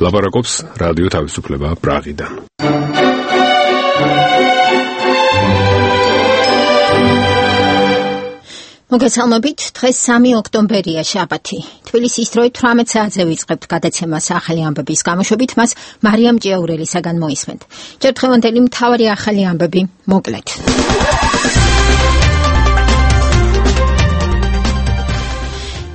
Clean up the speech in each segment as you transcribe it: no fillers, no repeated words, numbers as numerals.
ლაპარაკობს რადიო თავისუფლება პრაღიდან. მოგესალმებით, დღეს 3 ოქტომბერია, შაბათი. თბილისის დროით 18 საათზე ვიწყებთ გადაცემას ახალი ამბების გამოშვებით, მას მარიამ ჭიაურელისაგან მოისმენთ. ჯერ დღევანდელი მთავარი ახალი ამბები მოკლედ.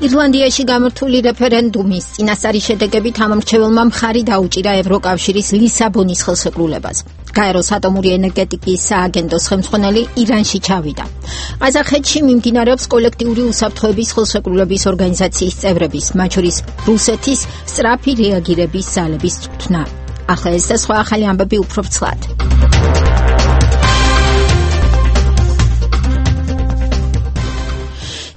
ირლანდიაში გამართული რეფერენდუმის წინასწარი შედეგებით ამომრჩეველმა მხარი დაუჭირა ევროკავშირის ლისაბონის ხელშეკრულებას. გაეროს ატომური ენერგეტიკის სააგენტოს ხელმძღვანელი ირანში ჩავიდა. ყაზახეთში მიმდინარეობს კოლექტიური უსაფრთხოების ხელშეკრულების ორგანიზაციის წევრების, მათ შორის რუსეთის სწრაფი რეაგირების ძალების წვრთნა. ახლა ეს და სხვა ახალი ამბები უფრო ვრცლად.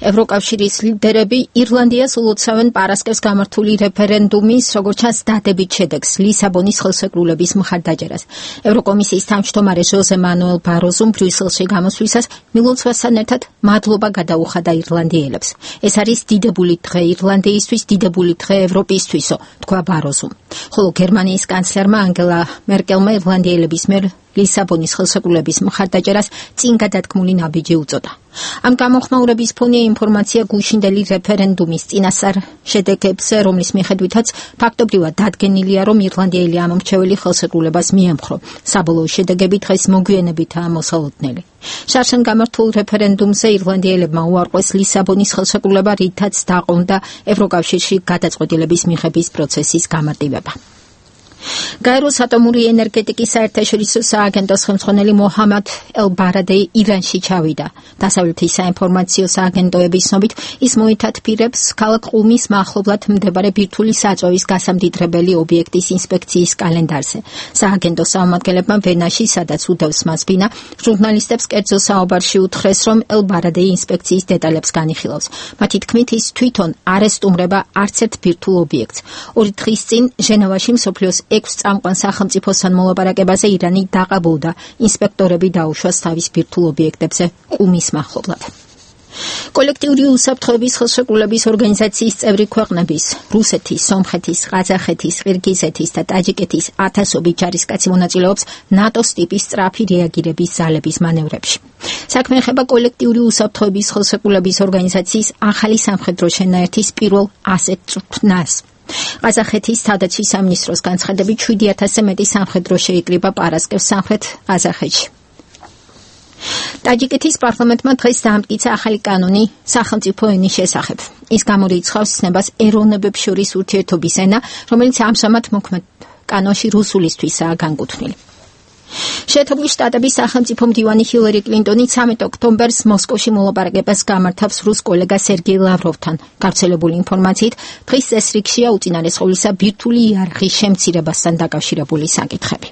ევროკავშირის ლიდერები ირლანდიას ულოცავენ პარასკევს გამართული რეფერენდუმის, როგორც ჩანს, დადებით შედეგს ლისაბონის ხელშეკრულების მხარდაჭერას. ევროკომისიის თავმჯდომარე ჟოზე მანუელ ბაროზუმ ბრიუსელში გამოსვლისას მილოცვასთან ერთად მადლობა გადაუხადა ირლანდიელებს. ეს არის დიდებული დღე ირლანდიისთვის, დიდებული დღე ევროპისთვისო, თქვა ბაროზუმ. ხოლო გერმანიის კანცლერმა ანგელა მერკელმა ირლანდიელების მიერ ლისაბონის ხელშეკრულების მხარდაჭერას წინ გადადგმული ნაბიჯი უწოდა. ამ გამოხმაურების ფონია ინფორმაცია გუშინდელი რეფერენდუმის წინასწარ შედეგებზე, რომლის მიხედვითაც ფაქტობრივად დადგენილია, რომ ირლანდიელი ამომრჩეველი ხელშეკრულებას მიემხრო. საბოლოო შედეგები დღეს მოგვიანებითაა მოსალოდნელი. შარშან გამართულ რეფერენდუმზე ირლანდიელებმა უარყვეს ლისაბონის ხელშეკრულება, რითაც დაყონდა ევროკავშირში გადაწყვეტილების მიღების პროცესის გამარტივება. გაეროს ატომური ენერგეტიკის საერთაშორისო სააგენტოს ხელმძღვანელი მოჰამად ელ-ბარადეი ირანში ჩავიდა. დასავლეთის საინფორმაციო სააგენტოების ცნობით, ის მოითათბირებს ქალაქ ყუმის მახლობლად მდებარე ბირთვული საწვევის გასამდიდრებელი ობიექტის ინსპექციის კალენდარზე. სააგენტოს წარმომადგენლებმა ვენაში, სადაც უდევს მას ბინა, ჟურნალისტებს კერძო საუბარში უთხრეს, რომ ელ-ბარადეი ინსპექციის დეტალებს განიხილავს. მათი თქმით, ის თვითონ არ ესტუმრება არც ერთ ბირთვულ ობიექტს. 2 დღის წინ ჟენევაში მსოფლიოს 6 წამყვან სახელმწიფოსთან მოლაპარაკებაზე ირანი დაყაბულდა. ინსპექტორები დაუშვას თავის ბირთვულ ობიექტებზე ყუმის მახლობლად. კოლექტიური უსაფრთხოების ხელშეკრულების ორგანიზაციის წევრი ქვეყნების რუსეთის, სომხეთის, ყაზახეთის, ყირგიზეთის და ტაჯიკეთის ათასობით ჯარისკაცი მონაწილეობს ნატოს ტიპის სწრაფი რეაგირების ძალების მანევრებში. საქმე ეხება კოლექტიური უსაფრთხოების ხელშეკრულების ორგანიზაციის ახალი სამხედრო შენაერთის პირველ ასეთ წვრთნას. ყაზახეთის თავდაცვის სამინისტროს განცხადებით 7000-ზე მეტი სამხედრო შეიკრიბა პარასკევს სამხრეთ ყაზახეთში. ტაჯიკეთის პარლამენტმა დღეს დაამტკიცა ახალი კანონი სახელმწიფო ენის შესახებ. ის გამორიცხავს ცნებას ეროვნებებს შორის ურთიერთობის ენა, რომელიც ამჟამად მოქმედ კანონში რუსულისთვისაა განკუთვნილი. შეერთებული შტატების სახელმწიფო მდივანი ჰილარი კლინტონი 13 ოქტომბერს მოსკოვში მოლაპარაკებას გამართავს რუს კოლეგა სერგეი ლავროვთან. გავრცელებული ინფორმაციით, დღის წესრიგშია უწინარეს ყოვლისა ბირთვული იარაღის შემცირებასთან დაკავშირებული საკითხები.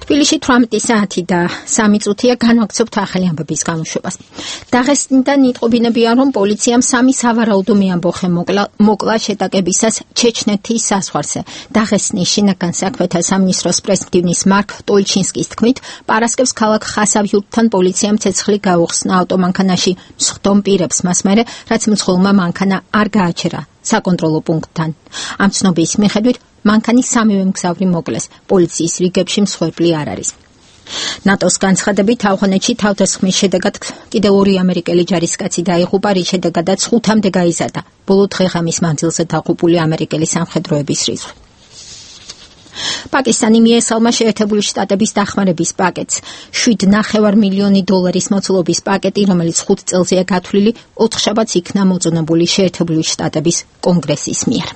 თბილისში 18 საათი და 3 წუთია განვაგრძობთ ახალი ამბების გამოშვებას. დაღესტნიდან იტყობინებიან, რომ პოლიციამ 3 სავარაუდო მეამბოხე მოკლა შეტაკებისას ჩეჩნეთის საზღვარზე. დაღესტნის შინაგან საქმეთა სამინისტროს პრეზიდენტის მარკ ტოლჩინსკის თქმით, პარასკევს ქალაქ ხასავიურთან პოლიციამ ცეცხლი გაუხსნა ავტომანქანაში მსხდომ პირებს მას მერე, რაც მძღოლმა მანქანა არ გააჩერა საკონტროლო პუნქტთან. ამ ცნობის მიხედვით მანქანის 3 მგზავრი მოკლეს. პოლიციის რიგებში მსხვერპლი არ არის. ნატოს განცხადებით ავღანეთში თავდასხმის შედეგად კიდევ 2 ამერიკელი ჯარისკაცი დაიღუპა, რის შედეგადაც 5-მდე გაიზარდა ბოლო დღე-ღამის მანძილზე დაღუპული ამერიკელი სამხედროების რიცხვი. პაკისტანი მიესალმა შეერთებული შტატების დახმარების პაკეტს. $7.5 მილიონი მოცულობის პაკეტი, რომელიც 5 წელზეა გათვლილი, 4 შაბათს იქნა მოწონებული შეერთებული შტატების კონგრესის მიერ.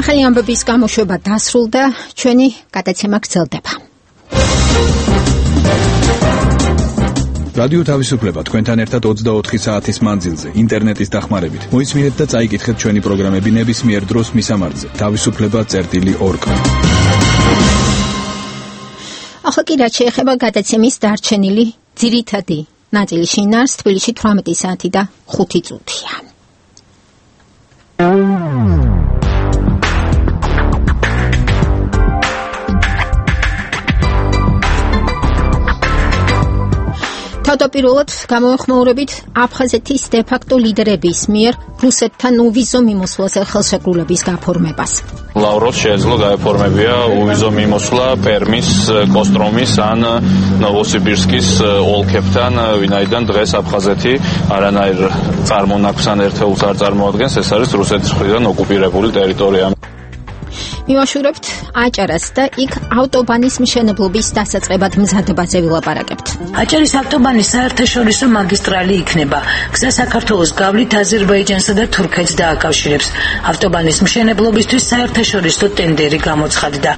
ახალი ამბების გამოშვება დასრულდა, ჩვენი გადაცემა გრძელდება. რადიო თავისუფლება თქვენთან ერთად 24 საათის მანძილზე ინტერნეტის დახმარებით. მოისმინეთ და წაიკითხეთ ჩვენი პროგრამები ნებისმიერ დროს მისამართზე tavisufleba.org. ახლა კი რაც შეეხება გადაცემის დარჩენილი ძირითადი ნაწილი შინაარს თბილისში 18 საათი და 5 წუთია. თავდაპირველად გამოეხმაურებით აფხაზეთის დე-ფაქტო ლიდერების მიერ რუსეთთან უვიზო მიმოსვლაზე ხელშეკრულების გაფორმებას. ლავროვს შეეძლო გაეფორმებია უვიზო მიმოსვლა პერმის, კოსტრომის ან ნოვოსიბირსკის ოლქებთან, ვინაიდან დღეს აფხაზეთი არანაირ წარმონაქმს ან ერთეულს არ წარმოადგენს, ეს არის რუსეთის მხრიდან ოკუპირებული ტერიტორია. მივაშურებთ აჭარას და იქ ავტობანის მშენებლობის დასაწყებად მზადებაზე ვილაპარაკებთ. აჭარის ავტობანის საერთაშორისო მაგისტრალი იქნება. გზა საქართველოს გავლით აზერბაიჯანსა და თურქეთს დააკავშირებს. ავტობანის მშენებლობისთვის საერთაშორისო ტენდერი გამოცხადდა.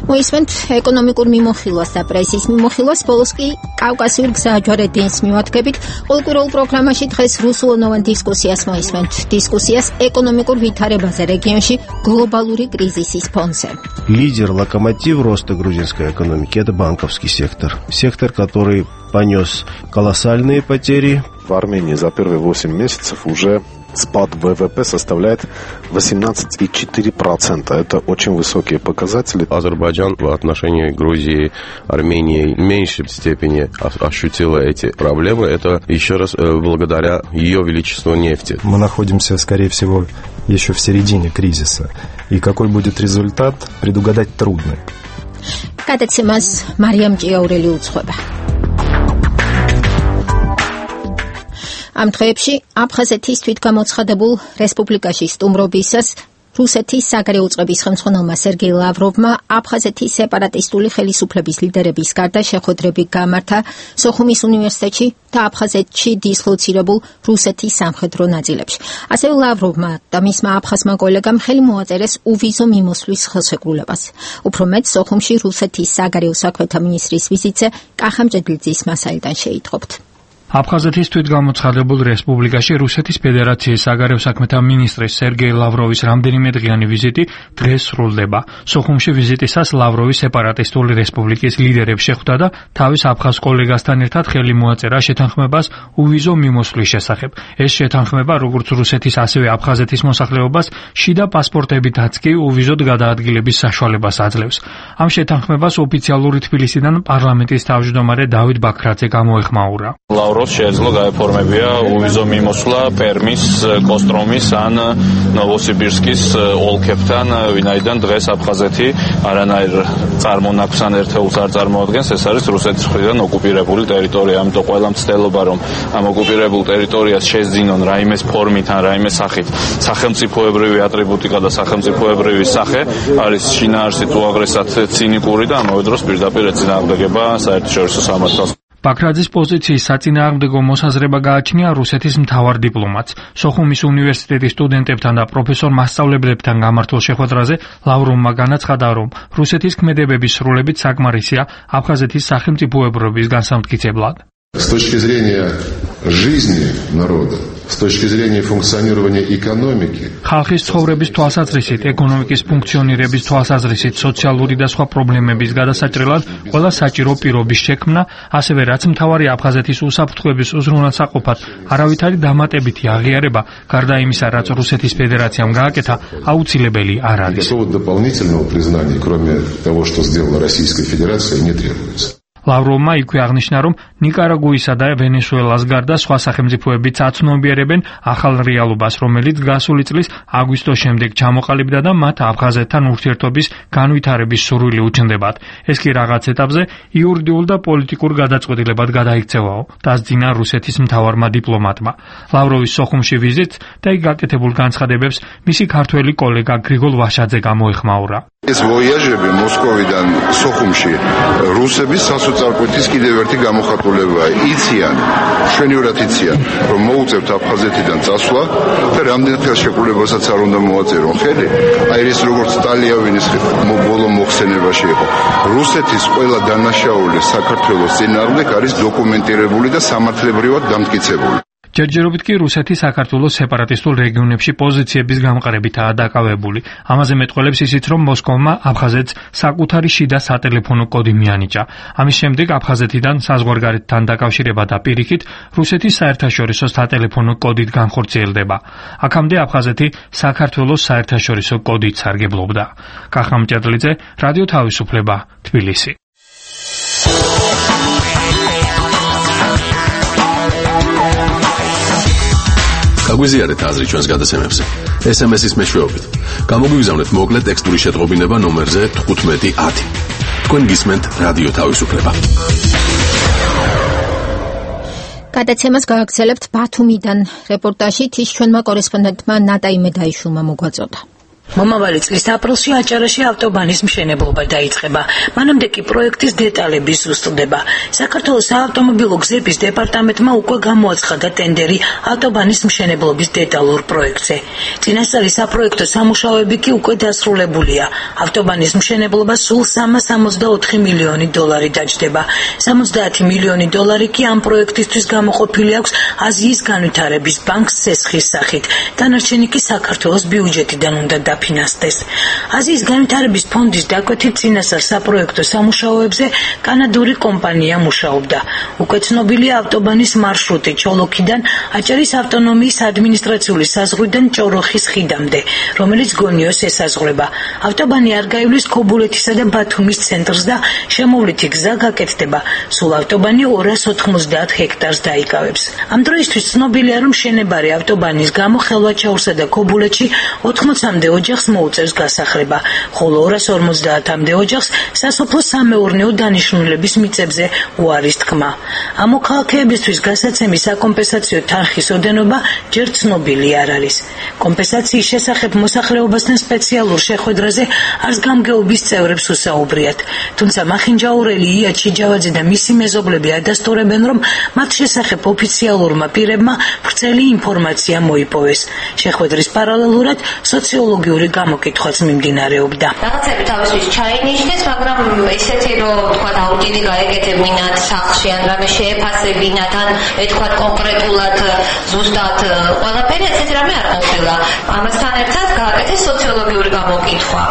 მოისმენთ ეკონომიკურ მიმოხილვას და პრესის მიმოხილვას, ბოლოს კი კავკასიურ გზაჯვარედინს მივადგებით. ყოველკვირეულ პროგრამაში დღეს რუსულენოვან დისკუსიას моисმენთ. Дискуссияс экономикურ ვითარებაზე регионში глобалური кризисის фоне. Лидер, локомотив роста грузинской экономики – это банковский сектор. Сектор, который понес колоссальные потери. В Армении за первые 8 месяцев уже спад ВВП составляет 18,4%. Это очень высокие показатели. Азербайджан в отношении Грузии, Армении в меньшей степени ощутила эти проблемы. Это еще раз благодаря ее величеству нефти. Мы находимся, скорее всего, еще в середине кризиса. И какой будет результат, предугадать трудно. Გადაცემას მარიამ ჭიაურელი უძღვება. ამ დღეებში აფხაზეთის თვითგამოცხადებულ რესპუბლიკაში სტუმრობისას რუსეთის საგარეო უწყების ხელმძღვანელმა სერგეი ლავროვმა აფხაზეთის სეპარატისტული ხელისუფლების ლიდერების გარდა შეხვედრები გამართა სოხუმის უნივერსიტეტში და აფხაზეთში დისლოცირებულ რუსეთის სამხედრო ნაწილებში. ასევე ლავროვმა და მისმა აფხაზმა კოლეგამ ხელი მოაწერეს უვიზო მიმოსვლის ხელშეკრულებას. უფრო მეტ, სოხუმში რუსეთის საგარეო საქმეთა მინისტრის ვიზიტზე კახა მჭედლიძის მასალიდან შეიტყობთ. აფხაზეთის თვითგამოცხადებულ რესპუბლიკაში რუსეთის ფედერაციის საგარეო საქმეთა მინისტრის სერგეი ლავროვის რამდენიმე დღიანი ვიზიტი დღეს სრულდება. სოხუმში ვიზიტისას ლავროვი სეპარატისტული რესპუბლიკის ლიდერებს შეხვდა და თავის აფხაზ კოლეგასთან ერთად ხელი მოაწერა შეთანხმებას უვიზო მიმოსვლის შესახებ. ეს შეთანხმება როგორც რუსეთის ასევე აფხაზეთის მოსახლეობას შიდა პასპორტებითაც კი უვიზოდ გადაადგილების საშუალებას აძლევს. ამ შეთანხმებას ოფიციალური თბილისიდან პარლამენტის თავმჯდომარე დავით ბაქრაძე გამოეხმაურა. შეეძლო გაეფორმებია უვიზო მიმოსვლა პერმის, კოსტრომის ან ნოვოსიბირსკის ოლქებთან, ვინაიდან დღეს აფხაზეთი არანაირ წარმონაქმს ან ერთეულს არ წარმოადგენს, ეს არის რუსეთის მხრიდან ოკუპირებული ტერიტორია. ამიტომ ყველა მცდელობა, რომ ამ ოკუპირებულ ტერიტორიას შეძინონ რაიმეს ფორმით ან რაიმე სახით სახელმწიფოებრივი ატრიბუტიკა და სახელმწიფოებრივი სახე, არის შინაარსით უაღრესად ცინიკური და ამავე დროს პირდაპირ ეწინააღმდეგება საერთაშორისო სამართალს. ბაქრაძის პოზიციის საწინააღმდეგო მოსაზრება გააჩნია რუსეთის მთავარ დიპლომატს. სოხუმის უნივერსიტეტის სტუდენტებთან და პროფესორ მასწავლებლებთან გამართულ შეხვედრაზე ლავროვმა განაცხადა, რომ რუსეთის ქმედებების სრულებით საკმარისია აფხაზეთის სახელმწიფოებრობის განსამტკიცებლად. С точки зрения жизни народа, с точки зрения функционирования экономики, ხალხის ცხოვრების თვალსაზრისით, ეკონომიკის ფუნქციონირების თვალსაზრისით, სოციალური და სხვა პრობლემების გადასაჭრელად ყველა საჭირო პირობის შექმნა, ასევე რაც მთავარი აფხაზეთის უსაფრთხოების უზრუნველსაყოფად არავითარი დამატებითი აღიარება, გარდა იმისა, რაც რუსეთის ფედერაციამ გააკეთა, აუცილებელი არ არის. дополнительного признания, кроме того, что сделала Российская Федерация, не требуется. ლავროვმა იქვე აღნიშნა, რომ ნიკარაგუისა და ვენესუელას გარდა სხვა სახელმწიფოებიც აცნობიერებენ ახალ რეალობას, რომელიც გასული წლის აგვისტოს შემდეგ ჩამოყალიბდა და მათ აფხაზეთთან ურთიერთობის განვითარების სურვილი უჩნდებათ. ეს კი რაღაც ეტაპზე იურიდიულ და პოლიტიკურ გადაწყვეტილებად გადაიქცევაო, დასძინა რუსეთის მთავარმა დიპლომატმა. ლავროვის სოხუმში ვიზიტს და იქ გაკეთებულ განცხადებებს მისი ქართველი კოლეგა გრიგოლ ვაშაძე გამოეხმაურა. ეს ვოიაჟები მოსკოვიდან სოხუმში რუსების სასოწარკვეთის კიდევ ერთი გამოხატულებაა. იციან, შვენივრად იციან, რომ მოუწევთ აფხაზეთიდან წასვლა და რამდენ ხელშეკრულებასაც არ უნდა მოაწერონ ხელი. აი ეს როგორც ტალიავინის ბოლო მოხსენებაში იყო. რუსეთის ყველა დანაშაული საქართველოს წინააღმდეგ არის დოკუმენტირებული და სამართლებრივად დამტკიცებული. ჯერჯერობით კი რუსეთი საქართველოს სეპარატისტულ რეგიონებში პოზიციების გამყრებითაა დაკავებული. ამაზე მეტყველებს ისიც, რომ მოსკოვმა აფხაზეთს საკუთარი შიდა სატელეფონო კოდი მიანიჭა. ამის შემდეგ აფხაზეთიდან საზღვარგარეთთან დაკავშირება და პირიქით რუსეთის საერთაშორისო სატელეფონო კოდით განხორციელდება. აქამდე აფხაზეთი საქართველოს საერთაშორისო კოდით სარგებლობდა. კახამ ჭედლიძე, რადიო თავისუფლება, თბილისი. გაგვიზიარეთ აზრი ჩვენს გადაცემებზე. SMS-ის მეშვეობით. გამოგვიგზავნეთ მოკლე ტექსტური შეტყობინება ნომერზე 1510. თქვენ გისმენთ რადიო თავისუფლება. გადაცემას გავაგრძელებთ ბათუმიდან. რეპორტაჟით ის ჩვენმა კორესპონდენტმა ნატა იმედაიშვილმა მოგვაწოდა. მომავალი წლის აპრილში აჭარაში ავტობანის მშენებლობა დაიწყება. მანამდე კი პროექტის დეტალები ზუსტდება. საქართველოს საავტომობილო გზების დეპარტამენტმა უკვე გამოაცხადა ტენდერი ავტობანის მშენებლობის დეტალურ პროექტზე. წინასწარი საპროექტო სამუშაოები კი უკვე დასრულებულია. ავტობანის მშენებლობა სულ 364 მილიონი დოლარი დაჯდება. 70 მილიონი დოლარი კი ამ პროექტისთვის გამოყოფილი აქვს აზიის განვითარების ბანკს სესხის სახით. დანარჩენი კი საქართველოს ბიუჯეტიდან უნდა ფინანსდეს. აზიის განვითარების ფონდის დაკვეთით წინასწარ საპროექტო სამუშაოებზე კანადური კომპანია მუშაობდა. უკვე ცნობილია ავტობანის მარშრუტი ჩოლოქიდან აჭარის ავტონომიის ადმინისტრაციული საზღვრიდან ჭოროხის ხიდამდე, რომელიც გონიოს ესაზღვრება. ავტობანი არ გაივლის ქობულეთისა და ბათუმის ცენტრს და შემოვლითი გზა გაკეთდება. სულ ავტობანი 290 ჰექტარს დაიკავებს. ამ დროისთვის ცნობილია, რომ შენებარი ავტობანის გამო ხელვაჩაურსა და ქობულეთში 80-მდე ოჯახს მოუწევს გასახლება, ხოლო 250-მდე ოჯახს სასოფლო სამეურნეო დანიშნულების მიწებზე უარის თქმა. ამ მოქალაქეებისთვის გასაცემი საკომპენსაციო თანხის ოდენობა ჯერ ცნობილი არ არის. კომპენსაციის შესახებ მოსახლეობასთან სპეციალურ შეხვედრაზე არს გამგეობის წევრებს უსაუბრიათ. თუმცა მახინჯაურელი ია ჩიჯავაძე და მისი მეზობლები ადასტურებენ, რომ მათ შესახებ ოფიციალურმა პირებმა ვრცელი ინფორმაცია მოიპოვეს. შეხვედრის პარალელურად სოციოლოგიური გამოკითხვაც მიმდინარეობდა. რაღაცები თავისთვის ჩაინიშნეს, მაგრამ ისეთი რომ თქვა აუდიტი გაეკეთებინათ სახლში ან რამე შეეფასებინათ ან თქვა კონკრეტულად ზუსტად ყველაფერი ესეთი რამე არ ყოფილა. ამასთან ერთად გააკეთეს სოციოლოგიური გამოკითხვა.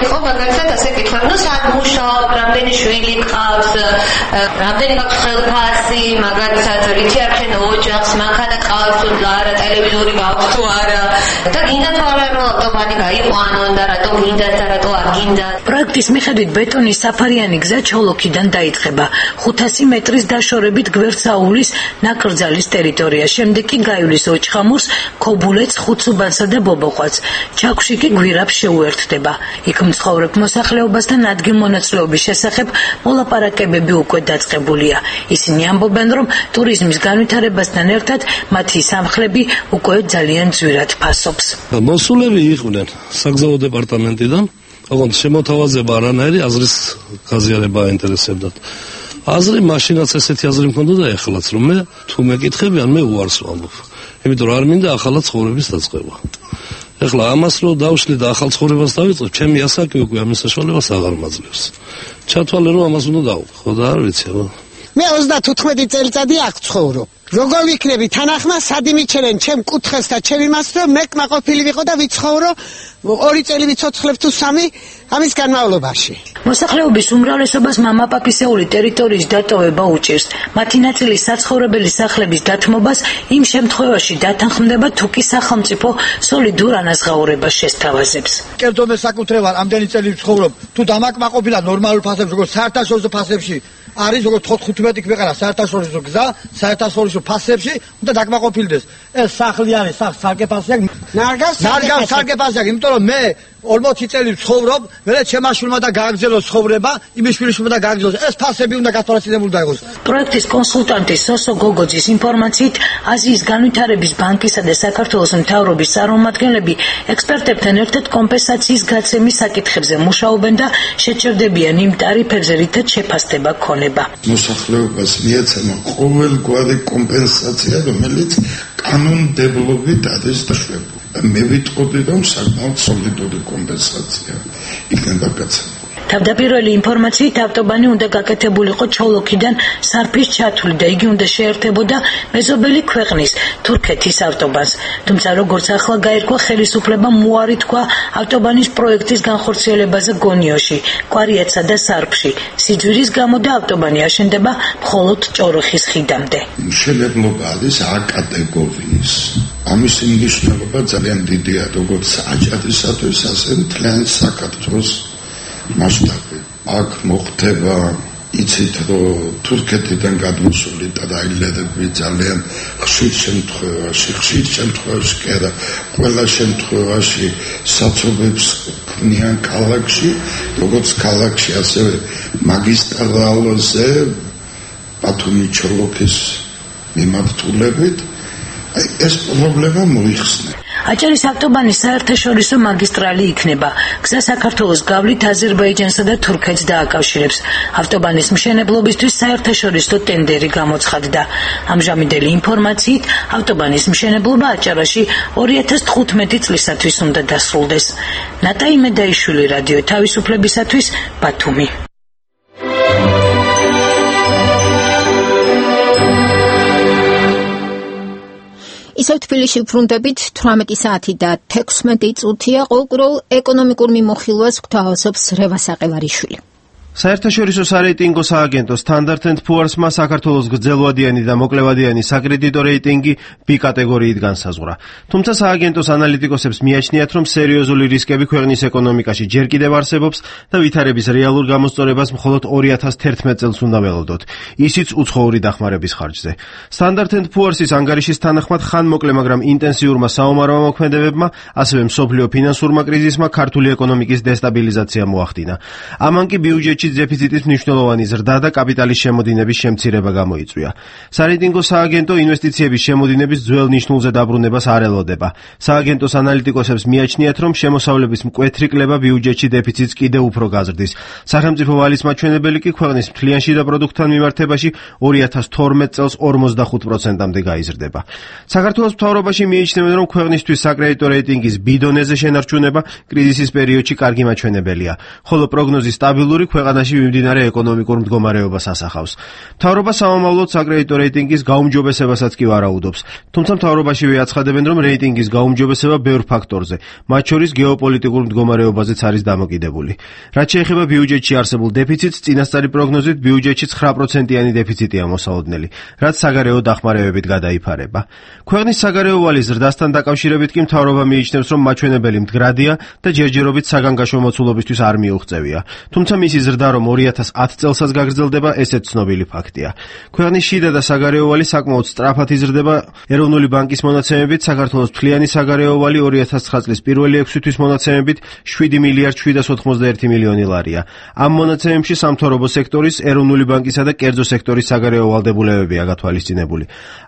იყო მაგალითად ასე კითხვა, ნუ სად მუშაობ, რამდენი შვილი ყავს, რამდენი გაქვს ხელფასი, მაგალითად რითი არქენ ოჯახს, მანქანა ყავს თუ არა, ტელევიზორი გაქვს თუ არა და გინდა თუ არა რომ ავტობანი გაიყვანონ და რატო გინდა და რატო არ გინდა. პროექტის მიხედვით ბეტონის საფარიანი გზა ჩოლოქიდან დაიწყება. 500 მეტრის დაშორებით გვერდსაულის ნაკრძალის ტერიტორია. შემდეგ კი გაივლის ოჩხამურს, ქობულეთს, ხუცუბანსა და ბობოყვას. ჩაქვში კი გვირაბს შეუერთდება. იქ მცხოვრებ მოსახლეობასთან ადგილმონაცვლეობის შესახებ მოლაპარაკებები უკვე დაწყებულია. ისინი ამბობენ, რომ ტურიზმის განვითარებასთან ერთად მათი სამხლები უკვე ძალიან ძვირად ფასობს. მოსულები იყვნენ საგზაო დეპარტამენტიდან, ოღონდ შემოთავაზება არანაირი აზრის გაზიარება აინტერესებდათ. აზრი მაშინაც ესეთი აზრი მქონდა და ეხლაც რომ მე თუ მეკითხებიან მე უარს ვამბობ. იმიტომ რომ არ მინდა ახალ ცხოვრების დაწყება. ეხლა ამას რო დავშლი და ახალ ცხოვრებას დავიწყებ, ჩემი ასაკი უკვე ამის საშუალებას აღარ მაძლევს. ჩათვალე რომ ამას უნდა დავუყო, ხო და არ ვიცი, ხო? მე 35 წელიწადი აქ ცხოვრობ. როგორ ვიქნები თანახმა სად იმიჩერენ ჩემ კუთხეს და ჩემი მას რომ მე კმაყოფილი ვიყო და ვიცხოვრო 2 წელი ვიცოცხლებ თუ 3 ამის განმავლობაში. მოსახლეობის უმრავლესობას მამაპაპისეული ტერიტორიის დატოვება უჭირს. მათი ნაწილი საცხოვრებელი სახლების დათმობას იმ შემთხვევაში დათანხმდება თუ კი სახელმწიფო სოლიდურ ანაზღაურებას შესთავაზებს. კერძო მე საკუთრებად ამდენი წელი ვცხოვრობ, თუ დამაკმაყოფილა ნორმალურ ფასებში, როგორც საერთაშორისო ფასებში არის როგორც 15 ქვეყანა საერთაშორისო გზა, საერთაშორისო ფასებში უნდა დაკმაყოფილდეს. ეს სახლი არის, სარკე ფასი აქვს. ნარგავს სარკე ფასი აქვს, იმიტომ რომ მე 40 წელი ვცხოვრობ, მე ჩემმა შვილმა და გააგრძელოს ცხოვრება, იმის შვილიშვილმა და გააგრძელოს. ეს ფასები უნდა გათვალისწინებული დაიყოს. პროექტის კონსულტანტი სოსო გოგოძის ინფორმაციით, აზიის განვითარების ბანკისა და საქართველოს მთავრობის წარმომადგენლები ექსპერტებთან ერთად კომპენსაციის გაცემის საკითხებზე მუშაობენ და შეჭერდებიან იმ ტარიფებზე, რითაც შეფასდება ქონება. მოსახლეობას მიეცემა ყოველგვარი კომპენსაცია, რომელიც კანონმდებლობით არის დაშვებული. მე ვიტყოდი, რომ საკმაოდ სოლიდური კომპენსაცია იქნება გაცემული. თავდაპირველი ინფორმაციით ავტობანი უნდა გაკეთებულიყო ჩოლოქიდან სარფის ჩათვლით და იგი უნდა შეერთებოდა მეზობელი ქვეყნის თურქეთის ავტობანს. თუმცა როგორც ახლა გაირკვა, ხელისუფლებამ უარი თქვა ავტობანის პროექტის განხორციელებაზე გონიოში, კვარიატსა და სარფში. სიძვირის გამო და ავტობანი აშენდება მხოლოდ ჭოროხის ხიდამდე. მშენებლობა არის A კატეგორიის. ამის მნიშვნელობა ძალიან დიდია, როგორც აჭარისათვის, ასე მთლიანი საქართველოს მასშტაბით. აქ მოხდება, იცით, რომ თურქეთიდან გადმოსული ტრაილერები ძალიან ხშირ შემთხვევაში კი არა, ყველა შემთხვევაში საცობებს ქმნიან ქალაქში, როგორც ქალაქში, ასევე მაგისტრალზე ბათუმი-ჩოლოქის მიმართულებით. ეს პრობლემა მოიხსნა. აჭარის ავტობანი საერთაშორისო მაგისტრალი იქნება. გზა საქართველოს გავლით აზერბაიჯანსა და თურქეთს დააკავშირებს. ავტობანის მშენებლობისთვის საერთაშორისო ტენდერი გამოცხადდა. ამჟამინდელი ინფორმაციით, ავტობანის მშენებლობა აჭარაში 2015 წლისათვის უნდა დასრულდეს. ნატა იმედაიშვილი, რადიო თავისუფლებისათვის, ბათუმი. ისევ თბილისში ვბრუნდებით 18 საათი და 16 წუთია. ყოველკვირეულ ეკონომიკურ მიმოხილვას გვთავაზობს რევა საყევარიშვილი. საერთაშორისო სარეიტინგო სააგენტო Standard & Poor's-მა საქართველოს გრძელვადიანი და მოკლევადიანი საკრედიტო რეიტინგი B კატეგორიით განსაზღვრა. თუმცა სააგენტოს ანალიტიკოსებს მიაჩნიათ, რომ სერიოზული რისკები ქვეყნის ეკონომიკაში ჯერ კიდევ არსებობს და ვითარების რეალურ გამოსწორებას მხოლოდ 2011 წელს უნდა ველოდოთ, ისიც უცხოური დახმარების ხარჯზე. Standard & Poor's-ის ანგარიშის თანახმად ხანმოკლე, მაგრამ ინტენსიურმა საომარმა მოქმედებებმა, ასევე მსოფლიო ფინანსურმა კრიზისმა ქართული ეკონომიკის დესტაბილიზაცია მოახდინა. ამან კი ბიუჯეტში დეფიციტის მნიშვნელოვანი ზრდა და კაპიტალის შემოდინების შემცირება გამოიწვია. სარეიტინგო სააგენტო ინვესტიციების შემოდინების ძველ ნიშნულზე დაბრუნებას არ ელოდება. სააგენტოს ანალიტიკოსებს მიაჩნიათ, რომ შემოსავლების მკვეთრი კლება ბიუჯეტში დეფიციტს კიდევ უფრო გაზრდის. სახელმწიფო ვალის მაჩვენებელი კი ქვეყნის მთლიან შიდა პროდუქტთან მიმართებაში 2012 წელს 45%-მდე გაიზრდება. საქართველოს მთავრობაში მიიჩნევენ, რომ ქვეყნისთვის საკრედიტო რეიტინგის B დონეზე შენარჩუნება კრიზისის პერიოდში კარგი მაჩვენებელია, ხოლო პროგნოზი სტაბილური ქვეყანაში მიმდინარე ეკონომიკურ მდგომარეობას ასახავს. მთავრობა სამომავლოდ საკრედიტო რეიტინგის გაუმჯობესებასაც კი ვარაუდობს, თუმცა მთავრობაშივე აცხადებენ, რომ რეიტინგის გაუმჯობესება ბევრ ფაქტორზე, მათ შორის გეოპოლიტიკურ მდგომარეობაზეც არის დამოკიდებული. რაც შეეხება ბიუჯეტში არსებულ დეფიციტს, წინასწარი პროგნოზით ბიუჯეტში 9%-იანი დეფიციტია მოსალოდნელი, რაც საგარეო დახმარებებით გადაიფარება. ქვეყნის საგარეო ვალის ზრდასთან დაკავშირებით კი მთავრობა მიიჩნევს, რომ მაჩვენებელი მდგრადია და ჯერჯერობით საგანგაშო მოცულობისთვის არ მიუღწევია. თუმცა მისი ზრდა რომ 2010 წელსაც გაგრძელდება, ესეც ცნობილი ფაქტია. ქვეყნის შიდა და საგარეო ვალი საკმაოდ სწრაფად იზრდება. ეროვნული ბანკის მონაცემებით საქართველოს მთლიანი საგარეო ვალი 2009 წლის პირველი 6 თვის მონაცემებით 7 მილიარდ 791 მილიონი ლარია. ამ მონაცემებში სამთავრობო სექტორის, ეროვნული ბანკისა და კერძო სექტორის საგარეო ვალდებულებებია გათვალისწინებული.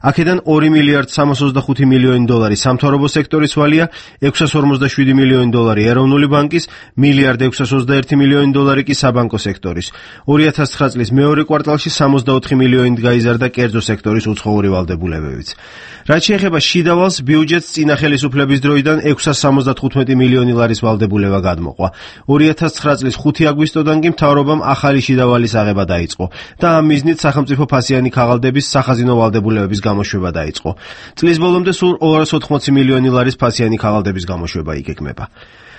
აქედან 2 მილიარდ 325 მილიონი დოლარი სამთავრობო სექტორის ვალია, 647 მილიონი დოლარი ეროვნული ბანკის, მილიარდ 621 მილიონი დოლარი კი საბანკო სექტორის. 2009 წლის მეორე კვარტალში 64 მილიონით გაიზარდა კერძო სექტორის უცხოური ვალდებულებებიც. რაც შეეხება შიდა ვალს, ბიუჯეტს წინა ხელისუფლების დროიდან 675 მილიონი ლარის ვალდებულება გადმოყვა. 2009 წლის 5 აგვისტოდან კი მთავრობამ ახალი შიდა ვალის აღება დაიწყო და ამ მიზნით სახელმწიფო ფასიანი ქაღალდების სახაზინო ვალდებულებების გამოშვება დაიწყო. წლის ბოლომდე სულ 280 მილიონი ლარის ფასიანი ქაღალდების გამოშვება იგეგმება.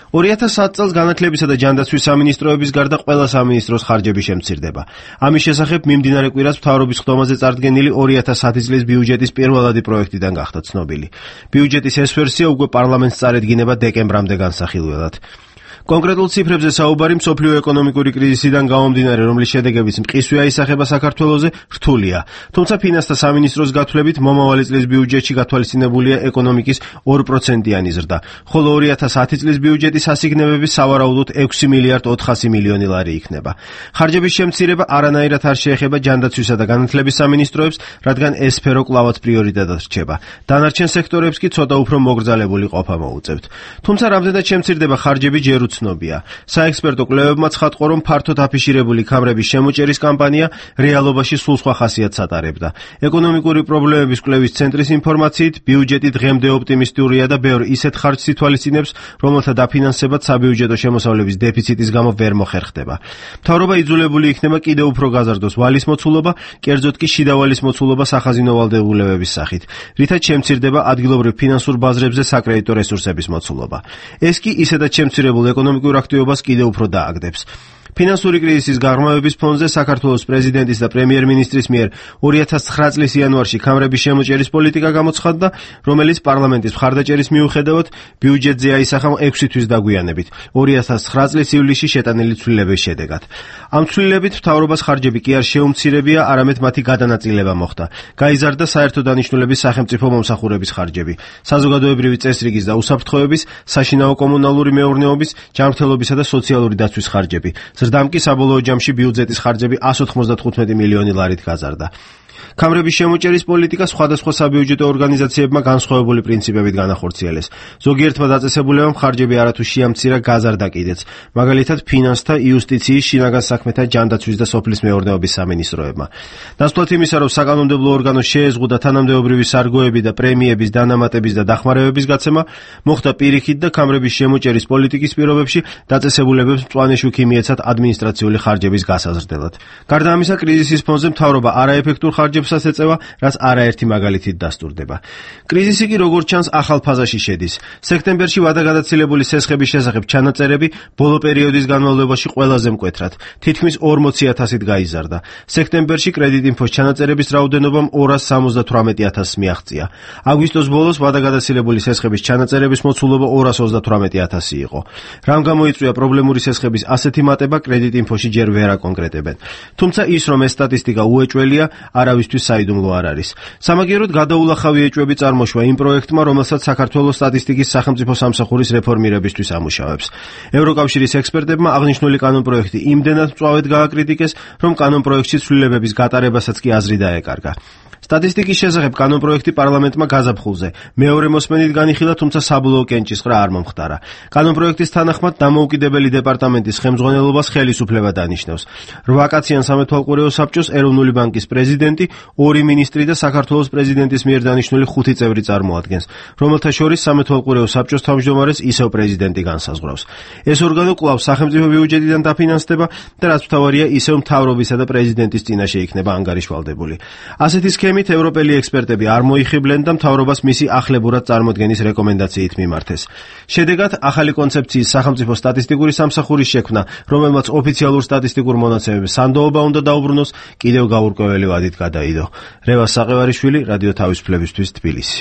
2010 წელს განათლებისა და ჯანდაცვის სამინისტროების გარდა ყველა სამინისტროს ხარჯები შემცირდება. ამის შესახებ მიმდინარე კვირას მთავრობის ხდომაზე წარდგენილი 2010 წლის ბიუჯეტის პირველადი პროექტიდან გახდა ცნობილი. ბიუჯეტის ეს ვერსია უკვე პარლამენტს წარედგინება დეკემბრამდე განსახილველად. კონკრეტულ ციფრებზე საუბარი მსოფლიო ეკონომიკური კრიზისიდან გამომდინარე, რომლის შედეგებიც მყისვე აისახება საქართველოზე, რთულია. თუმცა ფინანსთა სამინისტროს გათვლებით მომავალი წლის ბიუჯეტში გათვალისწინებულია ეკონომიკის 2%-იანი ზრდა, ხოლო 2010 წლის ბიუჯეტის ასიგნებები სავარაუდოდ 6 მილიარდ 400 მილიონი ლარი იქნება. ხარჯების შემცირება არანაირად არ შეეხება ჯანდაცვისა და განათლების სამინისტროებს, რადგან ეს სფერო კვლავაც პრიორიტეტად რჩება. დანარჩენ სექტორებს კი ცოტა უფრო მოგრძალებული ყოფა მოუწევთ. თუმცა რამდენად შემცირდება ხარჯები ჯერ ცნობია. საექსპერტო კვლევებმა ცხადყო, რომ ფართოდ აფიშირებული ქამრების შემოჭერის კამპანია რეალობაში სულ სხვა ხასიათს ატარებდა. ეკონომიკური პრობლემების კვლევის ცენტრის ინფორმაციით, ბიუჯეტი დღემდე ოპტიმისტურია და ბევრ ისეთ ხარჯს ითვალისწინებს, რომელთა დაფინანსებად საბიუჯეტო შემოსავლების დეფიციტის გამო ვერ მოხერხდება. მთავრობა იძულებული იქნება კიდევ უფრო გაზარდოს ვალის მოცულობა, კერძოდ კი შიდა ვალის მოცულობა სახაზინო ვალდებულებების სახით, რითაც შემცირდება ადგილობრივ ფინანსურ ბაზრებზე საკრედიტო რესურსების მოცულობა. ეს კი ისედაც შემცირებულ ეკონომიკურ აქტივობას კიდევ უფრო დააგდებს. ფინანსური კრიზისის გაღრმავების ფონზე საქართველოს პრეზიდენტის და პრემიერ-მინისტრის მიერ 2009 წლის იანვარში ქამრების შემოჭერის პოლიტიკა გამოცხადდა, რომელიც პარლამენტის მხარდაჭერის მიუხედავად ბიუჯეტზე აისახა 6 თვის დაგვიანებით, 2009 წლის ივლისში შეტანილი ცვლილების შედეგად. ამ ცვლილებით მთავრობას ხარჯები კი არ შეუმცირებია, არამედ მათი გადანაწილება მოხდა. გაიზარდა საერთო დანიშნულების სახელმწიფო მომსახურების ხარჯები, საზოგადოებრივი წესრიგის და უსაფრთხოების, საშინაო კომუნალური მეურნეობის, ჯანმრთელობისა და სოციალური დაცვის ხარჯები. ზრდამ კი საბოლოო ჯამში ბიუჯეტის ხარჯები 195 მილიონი ლარით გაზარდა. ქამრების შემოჭერის პოლიტიკა სხვადასხვა საბიუჯეტო ორგანიზაციებმა განსხვავებული პრინციპებით განახორციელეს. ზოგიერთმა დაწესებულებამ ხარჯები არათუ შეამცირა, გაზარდა კიდეც. მაგალითად, ფინანსთა, იუსტიციის, შინაგან საქმეთა, ჯანდაცვის და სოფლის მეურნეობის სამინისტროებმა. ნაცვლად იმისა, რომ საკანონმდებლო ორგანოს შეეზღუდა თანამდებობრივი სარგოები და პრემიების, დანამატების და დახმარებების გაცემა, მოხდა პირიქით და ქამრების შემოჭერის პოლიტიკის პირობებში დაწესებულებებს მწვანე შუქი მიეცათ ადმინისტრაციული ხარჯების გასაზრდელად. გარდა ამისა, კრიზისის ფონზე მთავრობა არაეფექტურ ხარჯებსაც ეწევა, რაც არაერთი მაგალითით დასტურდება. კრიზისი კი როგორც ჩანს ახალ ფაზაში შედის. სექტემბერში ვადაგადაცილებული სესხების შესახებ ჩანაწერები ბოლო პერიოდის განმავლობაში ყველაზე მკვეთრად, თითქმის 40,000-ით გაიზარდა. სექტემბერში კრედიტინფოს ჩანაწერების რაოდენობამ 278,000-ს მიაღწია. აგვისტოს ბოლოს ვადაგადაცილებული სესხების ჩანაწერების მოცულობა 238,000 იყო. რამ გამოიწვია პრობლემური სესხების ასეთი მატება, კრედიტინფოში ჯერ ვერ აკონკრეტებენ. თუმცა ის, რომ ეს სტატისტიკა უეჭველია, არავისთვის საიდუმლო არ არის. სამაგიეროდ გადაულახავი ეჭვები წარმოშვა იმ პროექტმა, რომელსაც საქართველოს სტატისტიკის სახელმწიფო სამსახურის რეფორმირებისთვის ამუშავებს. ევროკავშირის ექსპერტებმა აღნიშნული კანონპროექტი იმდენად მწვავედ გააკრიტიკეს, რომ კანონპროექტში ცვლილებების გატარებასაც კი აზრი დაეკარგა. სტატისტიკის შესახებ კანონპროექტი პარლამენტმა გაზაფხულზე მეორე მოსმენით განიხილა, თუმცა საბოლოო კენჭისყრა არ მომხდარა. კანონპროექტის თანახმად დამოუკიდებელი დეპარტამენტის ხელმძღვანელობას ხელისუფლება დანიშნავს. 8 კაციან სამეთვალყურეო საბჭოს ეროვნული ბანკის პრეზიდენტი, 2 მინისტრი და საქართველოს პრეზიდენტის მიერ დანიშნული 5 წევრი წარმოადგენს, რომელთა შორის სამეთვალყურეო საბჭოს თავმჯდომარეს ისევ პრეზიდენტი განსაზღვრავს. ეს ორგანო კვლავ სახელმწიფო ბიუჯეტიდან დაფინანსდება და რაც მთავარია, ისევ მთავრობისა და პრეზიდენტის წინაშე იქნება ანგარიშვალდებული. ასეთი სქემით ევროპელი ექსპერტები არ მოიხიბლენ და მთავრობას მისი ახლებურად წარმოდგენის რეკომენდაციით მიმართეს. შედეგად, ახალი კონცეფციის სახელმწიფო სტატისტიკური სამსახურის შექმნა, რომელმაც ოფიციალურ სტატისტიკურ მონაცემებს სანდოობა უნდა დაუბრუნოს, კიდევ გაურკვეველი ვადით გადაიდო. რევას საყევარიშვილი, რადიო თავისუფლებისთვის, თბილისი.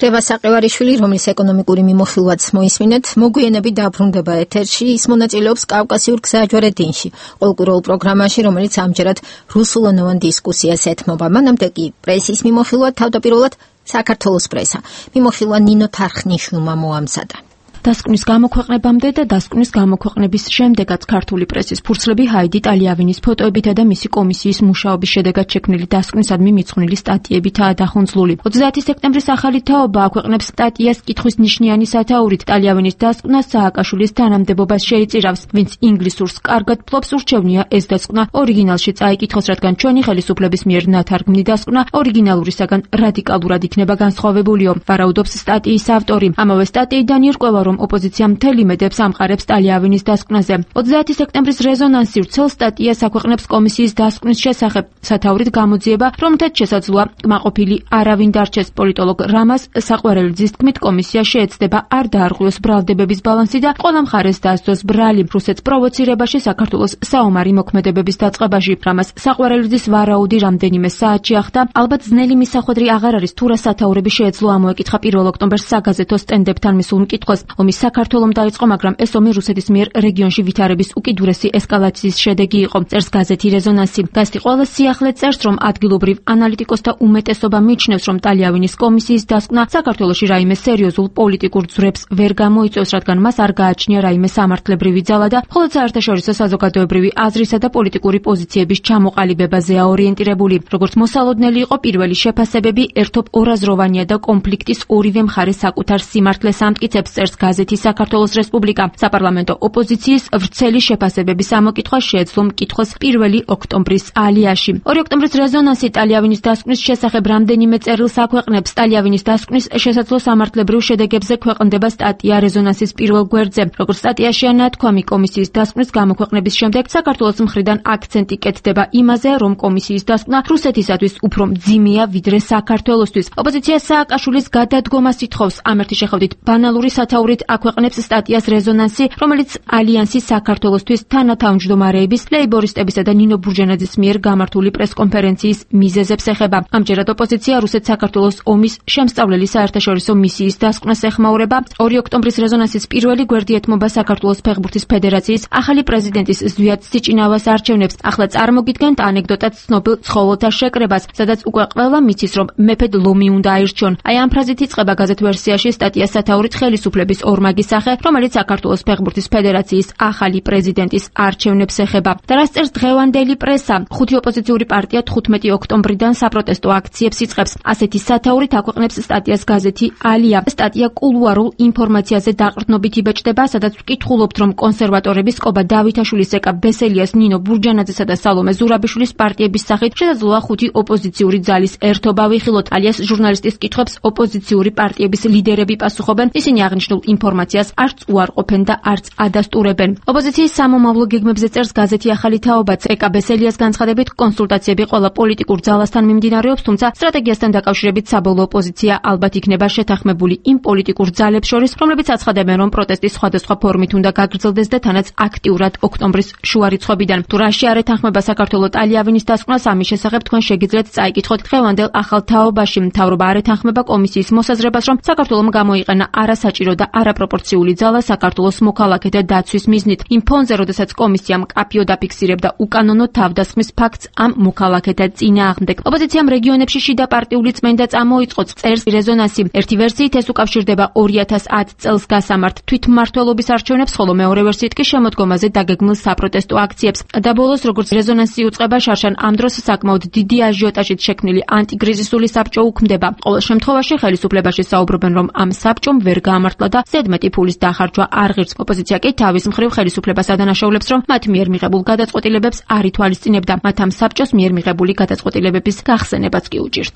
რევას საყევარიშვილი, რომლის ეკონომიკური მიმოხილვაც მოისმინეთ, მოგვიანებით დაბრუნდება ეთერში, ის მონაწილეობს კავკასიურ გზაჯვარედინში, ყოლკუროულ პროგრამაში, რომელიც ამჯერად რუსულენოვან დისკუსიას ეთმობა. მანამდე კი პრესის მიმოხილვა, თავდაპირველად საქართველოს პრესა. მიმოხილვა ნინო თარხნიშვილმა მოამზადა. დასკვნის გამოქვეყნებამდე და დასკვნის გამოქვეყნების შემდეგაც ქართული პრესის ფურცლები ჰაიდი ტალიავინის ფოტოებითა და მისი კომისიის მუშაობის შედეგად შექმნილი დასკვნისადმი მიძღვნილი სტატიებითაა დახუნძლული. 30 სექტემბრის ახალი თაობა აქვეყნებს სტატიას კითხვის ნიშნიანი სათაურით. ტალიავინის დასკვნას სააკაშვილის თანამდებობას შეიწირავს, ვინც ინგლისურს კარგად ფლობს, ურჩევნია ეს დასკვნა ორიგინალში წაიკითხოს, რადგან ჩვენი ხელისუფლების მიერ ნათარგმნი დასკვნა ორიგინალურისაგან რადიკალურად იქნება განსხვავებულიო. ვარაუდობს სტატიის ავტორი. ამავე სტატიიდან ირკვევა, რომ ოპოზიცია მთელი მედებს ამყარებს ტალიავინის დასკვნაზე. 30 სექტემბრის რეზონანსი ვრცელ სტატიას აქვეყნებს კომისიის დასკვნის შესახებ. სათაურით გამოძიება, რომ მთაც შესაძლოა კმაყოფილი არავინ დარჩეს. პოლიტოლოგ რამაზ საყვარელიძის თქმით, კომისია შეეცდება არ დაარღვიოს ბრალდებების ბალანსი და ყველა მხარეს დასდოს ბრალი რუსეთს პროვოცირებაში, საქართველოს საომარი მოქმედებების დაწყებაში. რამაზ საყვარელიძის ვარაუდი რამდენიმე საათში ახდა. ალბათ ძნელი მისახვედრი აღარ არის, თუ რა სათაურები შეეძლო ამოეკითხა 1 ოქტომბერს საგაზეთო სტენდებთან მისულ მკითხველს. ომი საქართველომ დაიწყო, მაგრამ ეს ომი რუსეთის მიერ რეგიონში ვითარების უკიდურესი ესკალაციის შედეგი იყო. წერს გაზეთი რეზონანსი. გაზეთი ყველა სიახლე წერს, რომ ადგილობრივ ანალიტიკოსთა უმეტესობა მიიჩნევს, რომ ტალიავინის კომისიის დასკვნა საქართველოში რაიმე სერიოზულ პოლიტიკურ ძვრებს ვერ გამოიწვევს, რადგან მას არ გააჩნია რაიმე სამართლებრივი ძალა და მხოლოდ საერთაშორისო საზოგადოებრივი აზრისა და პოლიტიკური პოზიციების ჩამოყალიბებაზეა ორიენტირებული. როგორც მოსალოდნელი იყო პირველი შეფასებები, ერთობ ორაზროვანია და კონფლიქტის ორივე მხარე საკუთარ სიმართლეს ამტკიცებს, წერს გაზეთი საქართველოს რესპუბლიკა. საპარლამენტო ოპოზიციის ვრცელი შეფასებების ამოკითხვა შეეძლო მკითხველს 1 ოქტომბრის ალიაში. 2 ოქტომბრის რეზონანსი ტალიავინის დასკვნის შესახებ რამდენიმე წერილს აქვეყნებს. ტალიავინის დასკვნის შესაძლო სამართლებრივ შედეგებზე ქვეყნდება სტატია რეზონანსის პირველ გვერდზე. როგორც სტატიაშია ნათქვამი, კომისიის დასკვნის გამოქვეყნების შემდეგ საქართველოს მხრიდან აქცენტი კეთდება იმაზე, რომ კომისიის დასკვნა რუსეთისათვის უფრო მძიმეა ვიდრე საქართველოსთვის. ოპოზიცია სააკაშვილის გადადგომას ითხოვს. ამ ერთი შეხედვით ბანალური სათაურით აქვეყნებს სტატიას რეზონანსი, რომელიც ალიანსის საქართველოსთვის თანათავმჯდომარეების, ლეიბორისტებისა და ნინო ბურჯანაძის მიერ გამართული პრესკონფერენციის მიზეზებს ეხება. ამჯერად ოპოზიცია რუსეთ-საქართველოს ომის შემსწავლელი საერთაშორისო მისიის დასკვნას ეხმაურება. 2 ოქტომბრის რეზონანსის პირველი გვერდი ეთმობა საქართველოს ფეხბურთის ფედერაციის ახალი პრეზიდენტის ზვიად სიჭინავას არჩევნებს. ახლა წარმოგიდგენთ ანეკდოტად ცნობილ ცხოველთა შეკრებას, სადაც უკვე ყველა მიცის, რომ მეფედ ლომი უნდა აირჩიონ. აი ამ ფრაზით იწყება გაზეთ ვერსიაში სტატია სათაურით ხელისუფლების ორმაგი სახე, რომელიც საქართველოს ფეხბურთის ფედერაციის ახალი პრეზიდენტის არჩევნებს ეხება. და რას წერს დღევანდელი პრესა? 5 ოპოზიციური პარტია 15 ოქტომბრიდან საპროტესტო აქციებს იწყებს. ასეთი სათაურით აქვეყნებს სტატიას გაზეთი ალია. სტატია კულუარულ ინფორმაციაზე დაყრდნობით იბეჭდება, სადაც ვკითხულობთ, რომ კონსერვატორების კობა დავითაშვილის, ეკა ბესელიას, ნინო ბურჯანაძესა და სალომე ზურაბიშვილის პარტიების სახით შესაძლოა 5 ოპოზიციური ძალის ერთობა ვიხილოთ. ალიას ჟურნალისტის კითხვებს ოპოზიციური პარტიების ლიდერები პასუხობენ. ისინი აღნიშნულ ინფორმაციას არც უარყოფენ და არც ადასტურებენ. ოპოზიციის სამომავლო გეგმებზე წერს გაზეთი ახალი თაობაც. ეკა ბესელიას განცხადებით, კონსულტაციები ყველა პოლიტიკურ ძალასთან მიმდინარეობს, თუმცა სტრატეგიასთან დაკავშირებით საბოლოო პოზიცია ალბათ იქნება შეთანხმებული იმ პოლიტიკურ ძალებს შორის, რომლებიც აცხადებენ, რომ პროტესტი სხვადასხვა ფორმით უნდა გაგრძელდეს და თანაც აქტიურად ოქტომბრის შუა რიცხვებიდან. თუ რაში არ ეთანხმება საქართველოს ტალიავინის დასკვნას, ამის შესახებ თქვენ შეგიძლიათ წაიკითხოთ დღევანდელ ახალ თაობაში. მთავრობა არ ეთანხმება კომისიის მოსაზრებას, რომ საქართველომ გამოიყენა არასაჭირო და არაპროპორციული ძალა საქართველოს მოქალაქეთა დაცვის მიზნით. იმ ფონზე, როდესაც კომისია მკაფიოდ აფიქსირებდა უკანონო თავდასხმის ფაქტს ამ მოქალაქეთა წინააღმდეგ. ოპოზიციამ რეგიონებში შიდა პარტიული წმენდა წამოიწყო, წერს რეზონანსი. ერთი ვერსიით ეს უკავშირდება 2010 წელს გასამართ თვითმმართველობის არჩევნებს, ხოლო მეორე ვერსიით კი შემოდგომაზე დაგეგმილ საპროტესტო აქციებს. და ბოლოს, როგორც რეზონანსი უწყება, შარშან ამ დროს საკმაოდ დიდი აჟიოტაჟით შექმნილი ანტიკრიზისული საბჭო უქმდება. ყოველ შემთხვევაში ხელისუფლებაში საუბრობენ, რომ ამ საბჭომ ვერ გაამართლა და ზედმეტი ფულის დახარჯვა არ ღირს. ოპოზიცია კი თავის მხრივ ხელისუფლებას ადანაშაულებს, რომ მათ მიერ მიღებულ გადაწყვეტილებებს არ ითვალისწინებდა. მათ ამ საბჭოს მიერ მიღებული გადაწყვეტილებების გახსენებაც კი უჭირთ.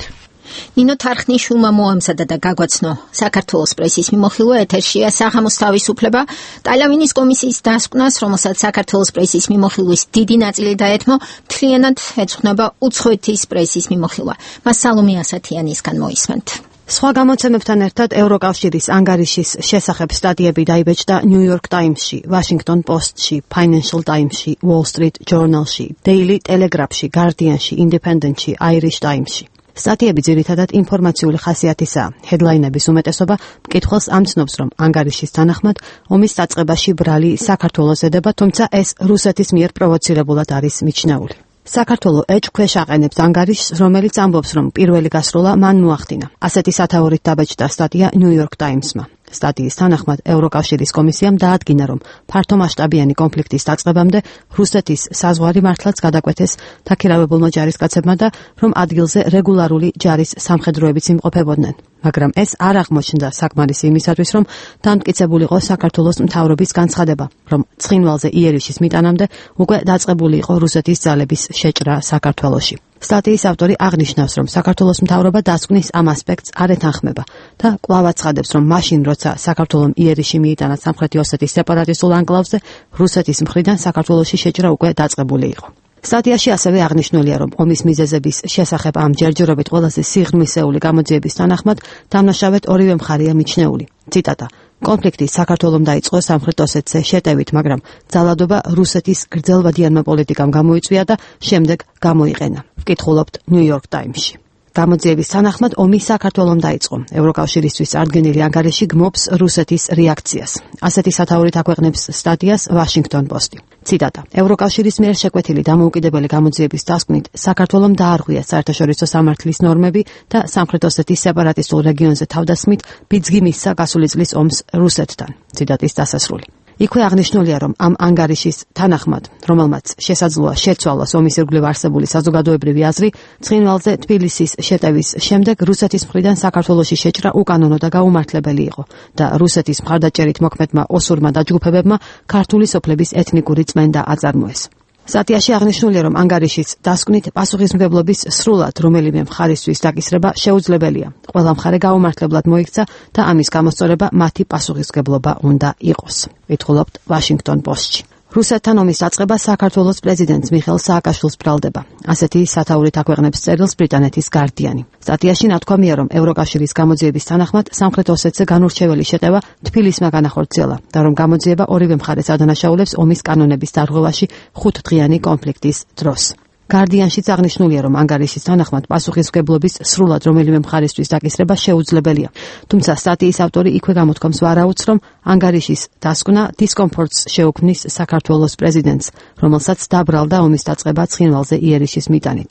ნინო თარხნიშვილმა მოამზადა და გაგვაცნო საქართველოს პრესის მიმოხილვა. ეთერშია საღამოს თავისუფლება. ტალიავინის კომისიის დასკვნას, რომელსაც საქართველოს პრესის მიმოხილვის დიდი ნაწილი დაეთმო, მთლიანად ეძღვნება უცხოეთის პრესის მიმოხილვა. მას სალომე ასათიანისგან მოისმენთ. სხვა გამოცემებთან ერთად ევროკავშირის ანგარიშის შესახებ სტატიები დაიბეჭდა New York Times-ში, Washington Post-ში, Financial Times-ში, Wall Street Journal-ში, Daily Telegraph-ში, Guardian-ში, Independent-ში, Irish Times-ში. სტატიები ძირითადად ინფორმაციული ხასიათისაა. ჰედლაინების უმეტესობა მკითხველს ამცნობს, რომ ანგარიშის თანახმად ომის დაწყებაში ბრალი საქართველოს ედება, თუმცა ეს რუსეთის მიერ პროვოცირებულად არის მიჩნეული. საქართველო ეჭქვეშ აყენებს ანგარიშს, რომელიც ამბობს, რომ პირველი გასროლა მან მოახდინა. ასეთი სათაურით დაბეჭდა სტატია New York Times-მა. სტატიის თანახმად ევროკავშირის კომისიამ დაადგინა, რომ ფართომასშტაბიანი კონფლიქტის დაწყებამდე რუსეთის საზღვარი მართლაც გადაკვეთეს დაქირავებულმა ჯარისკაცებმა და რომ ადგილზე რეგულარული ჯარის სამხედროებიც იმყოფებოდნენ. მაგრამ ეს არ აღმოჩნდა საკმარისი იმისათვის, რომ დამტკიცებულიყო საქართველოს მთავრობის განცხადება, რომ ცხინვალზე იერიშის მიტანამდე უკვე დაწყებული იყო რუსეთის ძალების შეჭრა საქართველოში. სტატიის ავტორი აღნიშნავს, რომ საქართველოს მთავრობა დასკვნის ამ ასპექტს არ ეთანხმება და კვლავ აცხადებს, რომ მაშინ, როცა საქართველომ იერიში მიიტანა სამხრეთი ოსეთის სეპარატისტულ ანკლავზე, რუსეთის მხრიდან საქართველოში შეჭრა უკვე დაწყებული იყო. სტატიაში ასევე აღნიშნულია, რომ ომის მიზეზების შესახებ ამ ჯერჯერობით ყველაზე სიღრმისეული გამოძიების თანახმად დამნაშავედ ორივე მხარეა მიჩნეული. ციტატა: კონფლიქტი საქართველომ დაიწყო სამხრეთ ოსეთზე შეტევით, მაგრამ ძალადობა რუსეთის გრძელვადიანმა პოლიტიკამ გამოიწვია და შემდეგ გამოიყენა. ვკითხულობთ New York Times-ში. გამოძიების თანახმად ომი საქართველომ დაიწყო. ევროკავშირისთვის წარდგენილი ანგარიში გმობს რუსეთის რეაქციას. ასეთი სათაურით აქვეყნებს სტატიას Washington Post-ი. ციტატა: ევროკავშირის მიერ შეკვეთილი დამოუკიდებელი გამოძიების დასკვნით საქართველომ დაარღვია საერთაშორისო სამართლის ნორმები და სამხრეთ ოსეთის სეპარატისტულ რეგიონზე თავდასხმით ბიძგი მისცა გასული წლის ომს რუსეთთან. ციტატის დასასრული. იქვე აღნიშნულია, რომ ამ ანგარიშის თანახმად, რომელმაც შესაძლოა შეცვალოს ომის ირგვლივ არსებული საზოგადოებრივი აზრი, ცხინვალზე თბილისის შეტევის შემდეგ რუსეთის მხრიდან საქართველოში შეჭრა უკანონო და გაუმართლებელი იყო და რუსეთის მხარდაჭერით მოქმედმა ოსურმა დაჯგუფებებმა ქართული სოფლების ეთნიკური წმენდა აწარმოეს. სტატიაში აღნიშნულია, რომ ანგარიშის დასკვნით პასუხისმგებლობის სრულად რომელიმე მხარისთვის დაკისრება შეუძლებელია. ყველა მხარე გაუმართლებლად მოიქცა და ამის გამოსწორება მათი პასუხისმგებლობა უნდა იყოს. ვითხულობთ Washington Post-ში. რუსეთთან ომის დაწყება საქართველოს პრეზიდენტს მიხეილ სააკაშვილს ბრალდება. ასეთი სათაურით აქვეყნებს წერილს ბრიტანეთის Guardian-ი. სტატიაში ნათქვამია, რომ ევროკავშირის გამოძიების თანახმად სამხრეთ ოსეთზე განურჩეველი შეტევა თბილისმა განახორციელა და რომ გამოძიება ორივე მხარეს ადანაშაულებს ომის კანონების დარღვევაში 5 დღიანი კონფლიქტის დროს. Guardian-შიც აღნიშნულია, რომ ანგარიშის თანახმად პასუხისმგებლობის სრულად რომელიმე მხარისთვის დაკისრება შეუძლებელია. თუმცა სტატიის ავტორი იქვე გამოთქვამს ვარაუდს, რომ ანგარიშის დასკვნა დისკომფორტს შეუქმნის საქართველოს პრეზიდენტს, რომელსაც დაბრალდა ომის დაწყება ცხინვალზე იერიშის მიტანით.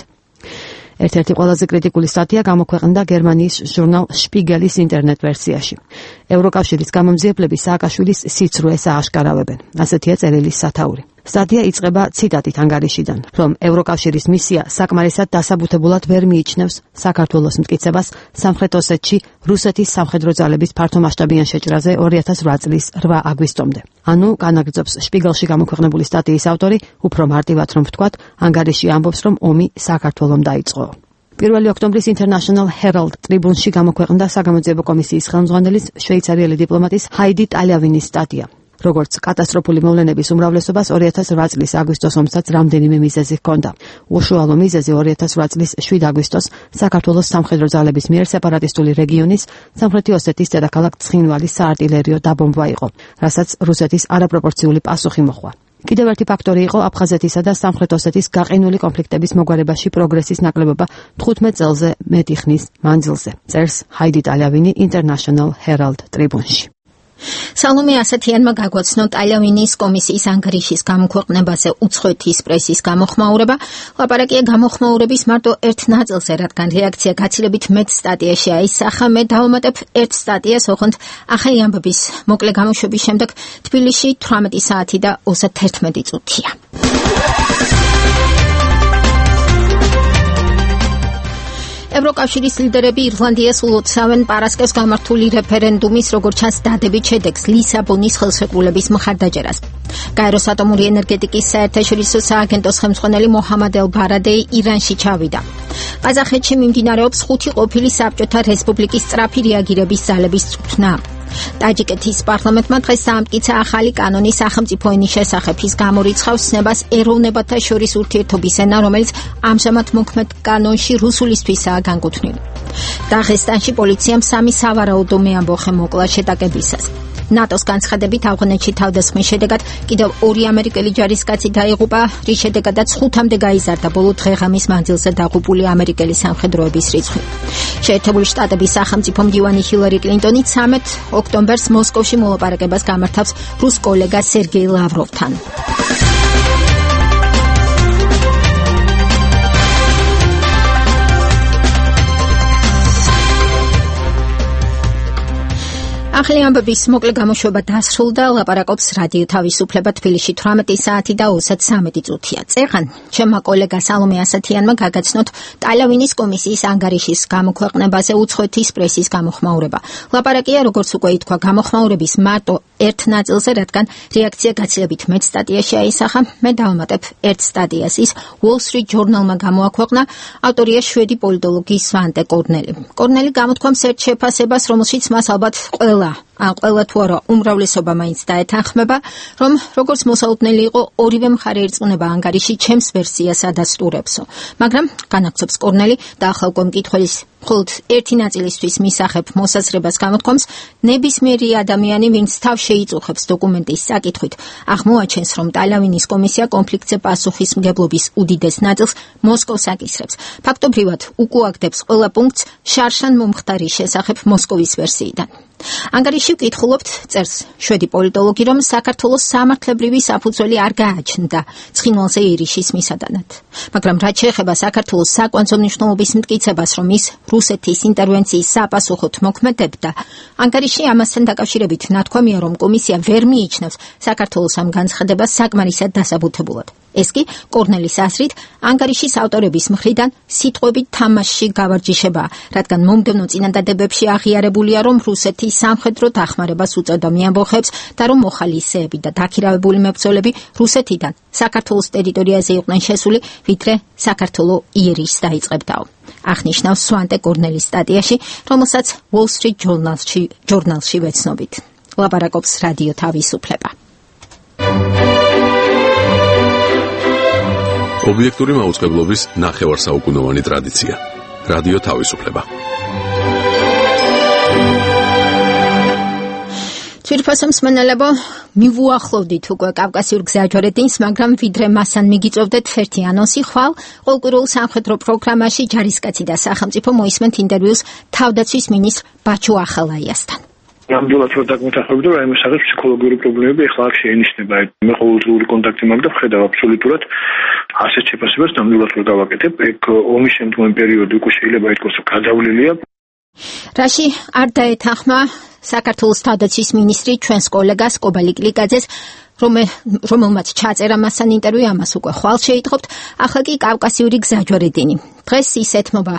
ერთ-ერთი ყველაზე კრიტიკული სტატია გამოქვეყნდა გერმანიის ჟურნალ Spiegelis ინტერნეტ ვერსიაში. ევროკავშირის გამომძიებლები სააკაშვილის სიცრუეს ააშკარავებენ. ასეთია წერილის სათაური. სტატია იწყება ციტატით ანგარიშიდან, რომ ევროკავშირის მისია საკმარისად დასაბუთებულად ვერ მიიჩნევს საქართველოს მტკიცებას სამხრეთ ოსეთში რუსეთის სამხედრო ძალების ფართომასშტაბიან შეჭრაზე 2008 წლის 8 აგვისტომდე. ანუ განაგრძობს Spiegelში გამოქვეყნებული სტატიის ავტორი, უფრო მარტივად რომ ვთქვათ, ანგარიში ამბობს, რომ ომი საქართველომ დაიწყო. 1 ოქტომბრის International Herald Tribune-ში გამოქვეყნდა საგამოძიებო კომისიის ხელმძღვანელის შვეიცარიელი დიპლომატის ჰაიდი ტალявინის სტატია. როგორც კატასტროფული მოვლენების უმრავლესობას 2008 წლის აგვისტოს ომსაც რამდენიმე მიზეზი ჰქონდა. უშუალო მიზეზი 2008 წლის 7 აგვისტოს საქართველოს სამხედრო ძალების მიერ სეპარატისტული რეგიონის სამხრეთი ოსეთის დედაქალაქ ცხინვალის საარტილერიო დაბომბვა იყო, რასაც რუსეთის არაპროპორციული პასუხი მოჰყვა. კიდევ ერთი ფაქტორი იყო აფხაზეთისა და სამხრეთ ოსეთის გაყინული კონფლიქტების მოგვარებაში პროგრესის ნაკლებობა 15 წელზე მეტი ხნის მანძილზე. წერს ჰაიდი ტალявინი International Herald Tribune-ში. სალომე ასათიანმა გაგვაცნო ტალявინის კომისიის ანგარიშის გამოქვეყნებაზე უცხოეთის პრესის გამოხმაურება. ლაპარაკია გამოხმაურების მარტო ერთ ნაწილზე, რადგან რეაქცია გაცილებით მეტ სტატიაში აისახა. მე დავუმატებ ერთ სტატიას, ოღონდ ახალი ამბების მოკლე გამოშვების შემდეგ თბილისში 18 საათი და 31 წუთია. ევროკავშირის ლიდერები ირლანდიას ულოცავენ პარასკევს გამართული რეფერენდუმის, როგორც ჩანს, დადებით შედეგს ლისაბონის ხელშეკრულების მხარდაჭერას. გაეროს ატომური ენერგეტიკის საერთაშორისო სააგენტოს ხელმძღვანელი მოჰამად ელ-ბარადეი ირანში ჩავიდა. ყაზახეთში მიმდინარეობს 5 ყოფილი საბჭოთა რესპუბლიკის სწრაფი რეაგირების ძალების წვრთნა. ტაჯიკეთის პარლამენტმა დღეს დაამტკიცა ახალი კანონი სახელმწიფო ენის შესახებ. ის გამორიცხავს ცნებას ეროვნებათა შორის ურთიერთობის ენა, რომელიც ამჟამად მოქმედ კანონში რუსულისთვისაა განკუთვნილი. დაღესტანში პოლიციამ 3 სავარაუდო მეამბოხე მოკლა შეტაკებისას. ნატოს განცხადებით ავღანეთში თავდასხმის შედეგად კიდევ 2 ამერიკელი ჯარისკაცი დაიღუპა, რის შედეგადაც 5-მდე გაიზარდა ბოლო დღეღამის მანძილზე დაღუპული ამერიკელი სამხედროების რიცხვი. შეერთებული შტატების სახელმწიფო მდივანი ჰილარი კლინტონი 13 ოქტომბერს მოსკოვში მოლაპარაკებას გამართავს რუს კოლეგა სერგეი ლავროვთან. ახალი ამბების მოკლე გამოშვება დასრულდა. ლაპარაკობს რადიო თავისუფლება თბილისში 18 საათი და 33 წუთია. წეღან ჩემმა კოლეგა სალომე ასათიანმა გაგაცნოთ ტალявინის კომისიის ანგარიშის გამოქვეყნებაზე უცხოეთის პრესის გამოხმაურება. ლაპარაკია, როგორც უკვე ითქვა, გამოხმაურების მარტო ერთ ნაწილზე, რადგან რეაქცია გაცილებით მეტ სტატიაში აისახა. მე დავამატებ ერთ სტატიას. ის Wall Street Journal-მა გამოაქვეყნა. ავტორია შვედი პოლიტოლოგი სვანტე კორნელი. კორნელი გამოთქვამს ერთ შეფასებას, რომელშიც მას ალბათ ყველა თუ არა უმრავლესობა მაინც დაეთანხმება, რომ როგორც მოსაუბრებელი იყო, ორივე მხარე ერწყმება ანგარიში ჩემს ვერსიას ადასტურებსო. მაგრამ განაგრძობს კორნელი და ახლა უკვე მკითხველის მხოლოდ ერთი ნაწილისთვის მისახებ მოსაზრებას გამოთქვამს, ნებისმიერი ადამიანი, ვინც თავს შეიწუხებს დოკუმენტის საკითხვით, აღმოაჩენს, რომ ტალявინის კომისია კონფლიქტზე პასუხისმგებლობის უდიდეს ნაწილს მოსკოვს აკისრებს. ფაქტობრივად უკუაგდებს ყველა პუნქტს შარშან მომხდარის შესახებ მოსკოვის ვერსიიდან. ანგარიში ვკითხულობთ, წერს შვედი პოლიტოლოგი, რომ საქართველოს სამართლებრივი საფუძველი არ გააჩნდა ცხინვალზე ირიშის მისადანად. მაგრამ რაც შეეხება საქართველოს საკვანძო მნიშვნელობის მტკიცებას, რომ ის რუსეთის ინტერვენციის საპასუხოდ მოქმედებდა, ანგარიში ამასთან დაკავშირებით ნათქვამია, რომ კომისია ვერ მიიჩნევს საქართველოს ამ განცხადებას საკმარისად დასაბუთებულად. ეს კი კორნელის აზრით ანგარიშის ავტორების მხრიდან სიტყვებით თამაშში გავარჯიშებაა, რადგან მომდევნო წინადადებებში აღიარებულია, რომ რუსეთი სამხედრო დახმარებას უწევდა მეამბოხებს და რომ მოხალისეები და დაქირავებული მებრძოლები რუსეთიდან საქართველოს ტერიტორიაზე იყვნენ შესული, ვიდრე საქართველო იერიშს დაიწყებდაო. აღნიშნავს სვანტე კორნელის სტატიაში, რომელსაც Wall Street Journal-ში ვეცნობით. ლაპარაკობს რადიო თავისუფლება. ობიექტური მაუწყებლობის ნახევარსაუკუნოვანი ტრადიცია. რადიო თავისუფლება. ძვირფასო მსმენელებო, მივუახლოვდით უკვე კავკასიურ გზაჯვარედინს, მაგრამ ვიდრე მასან მიგიწევდეთ ერთი ანონსი, ხვალ ყოველკვირეულ სამხედრო პროგრამაში ჯარისკაცი და სახელმწიფო მოისმენთ ინტერვიუს თავდაცვის მინისტრ ბაჩუ ახალაიასთან. ნამდვილად რომ დაგმოთახები, რომ რაიმე სახის ფსიქოლოგიური პრობლემები ახლა აქ შეინიშნება. მე ყოველდღიური კონტაქტი მაქვს და ვხედავ აბსოლუტურად ასეთ შეფასებას ნამდვილად რომ დავაკეთებ. ეგ ომის შემდგომი პერიოდი უკვე შეიძლება ითქვას, რომ გადავლილია. რაში არ დაეთანხმა საქართველოს თავდაცვის მინისტრი ჩვენს კოლეგას კობალი კლიკაძეს, რომელმაც ჩაწერა მასთან ინტერვიუ, ამას უკვე ხვალ შეიტყობთ. ახლა კი კავკასიური გზაჯვარედინი. დღეს ის ეთმობა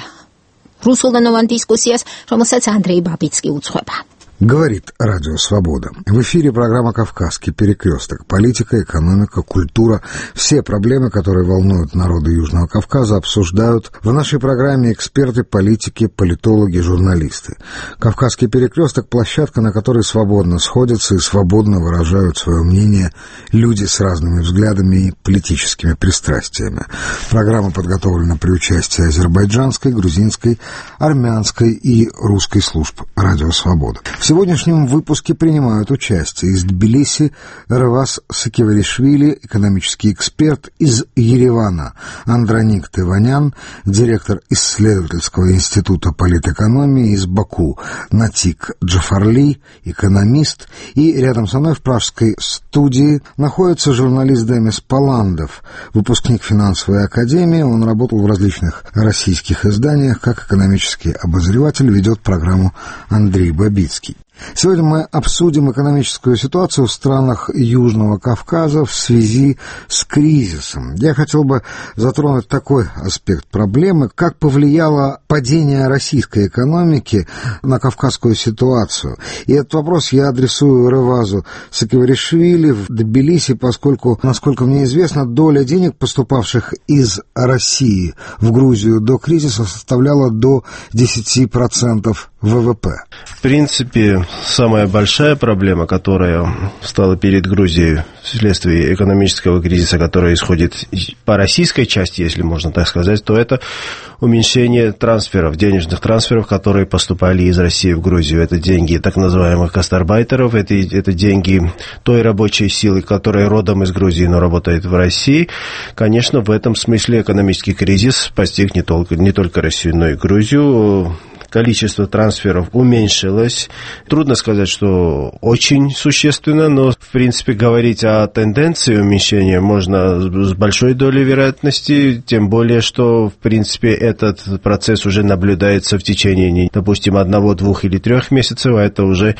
რუსულენოვან დისკუსიას, რომელსაც ანდრეი ბაბიცკი უძღვება. Говорит Радио Свобода. В эфире программа «Кавказский перекресток». Политика, экономика, культура. Все проблемы, которые волнуют народы Южного Кавказа, обсуждают в нашей программе эксперты, политики, политологи, журналисты. «Кавказский перекресток» – площадка, на которой свободно сходятся и свободно выражают свое мнение люди с разными взглядами и политическими пристрастиями. Программа подготовлена при участии азербайджанской, грузинской, армянской и русской служб «Радио Свобода». В сегодняшнем выпуске принимают участие из Тбилиси Реваз Сакиваришвили, экономический эксперт, из Еревана Андроник Тыванян, директор исследовательского института политэкономии, из Баку Натик Джафарли, экономист, и рядом со мной в пражской студии находится журналист Демис Паландов, выпускник финансовой академии. Он работал в различных российских изданиях, как экономический обозреватель, ведет программу Андрей Бабицкий. Сегодня мы обсудим экономическую ситуацию в странах Южного Кавказа в связи с кризисом. Я хотел бы затронуть такой аспект проблемы, как повлияло падение российской экономики на кавказскую ситуацию. И этот вопрос я адресую Ревазу Сакиваришвили в Тбилиси, поскольку, насколько мне известно, доля денег, поступавших из России в Грузию до кризиса, составляла до 10% ВВП. В принципе, самая большая проблема, которая стала перед Грузией вследствие экономического кризиса, который исходит по российской части, если можно так сказать, то это уменьшение трансферов, денежных трансферов, которые поступали из России в Грузию. Это деньги так называемых гастарбайтеров, это деньги той рабочей силы, которая родом из Грузии, но работает в России. Конечно, в этом смысле экономический кризис постиг не только Россию, но и Грузию. Количество трансферов уменьшилось. Трудно сказать, что очень существенно, но, в принципе, говорить о тенденции уменьшения можно с большой долей вероятности, тем более, что, в принципе, этот процесс уже наблюдается в течение, допустим, 1, 2 или 3 месяцев, а это уже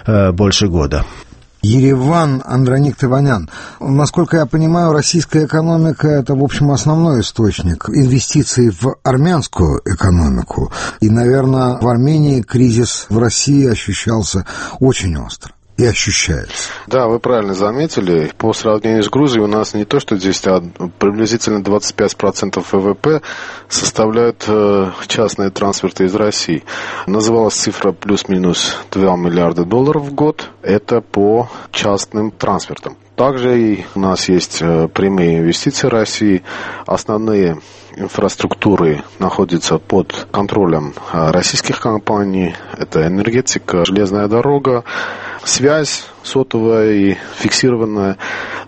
больше года. Ереван, Андроник Тыванян. Насколько я понимаю, российская экономика – это, в общем, основной источник инвестиций в армянскую экономику. И, наверное, в Армении кризис в России ощущался очень остро. И ощущается. Да, вы правильно заметили. По сравнению с Грузией у нас не то, что здесь приблизительно 25% ВВП составляют частные трансферты из России. Называлась цифра плюс-минус $2 миллиарда в год. Это по частным трансфертам. Также и у нас есть прямые инвестиции России. Основные инфраструктуры находится под контролем российских компаний. Это энергетика, железная дорога, связь сотовая и фиксированная.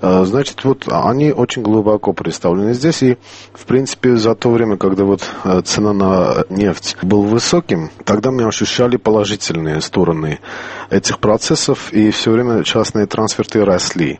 Значит, вот они очень глубоко представлены здесь. И, в принципе, за то время, когда вот цена на нефть была высоким, тогда мы ощущали положительные стороны этих процессов, и все время частные трансферты росли.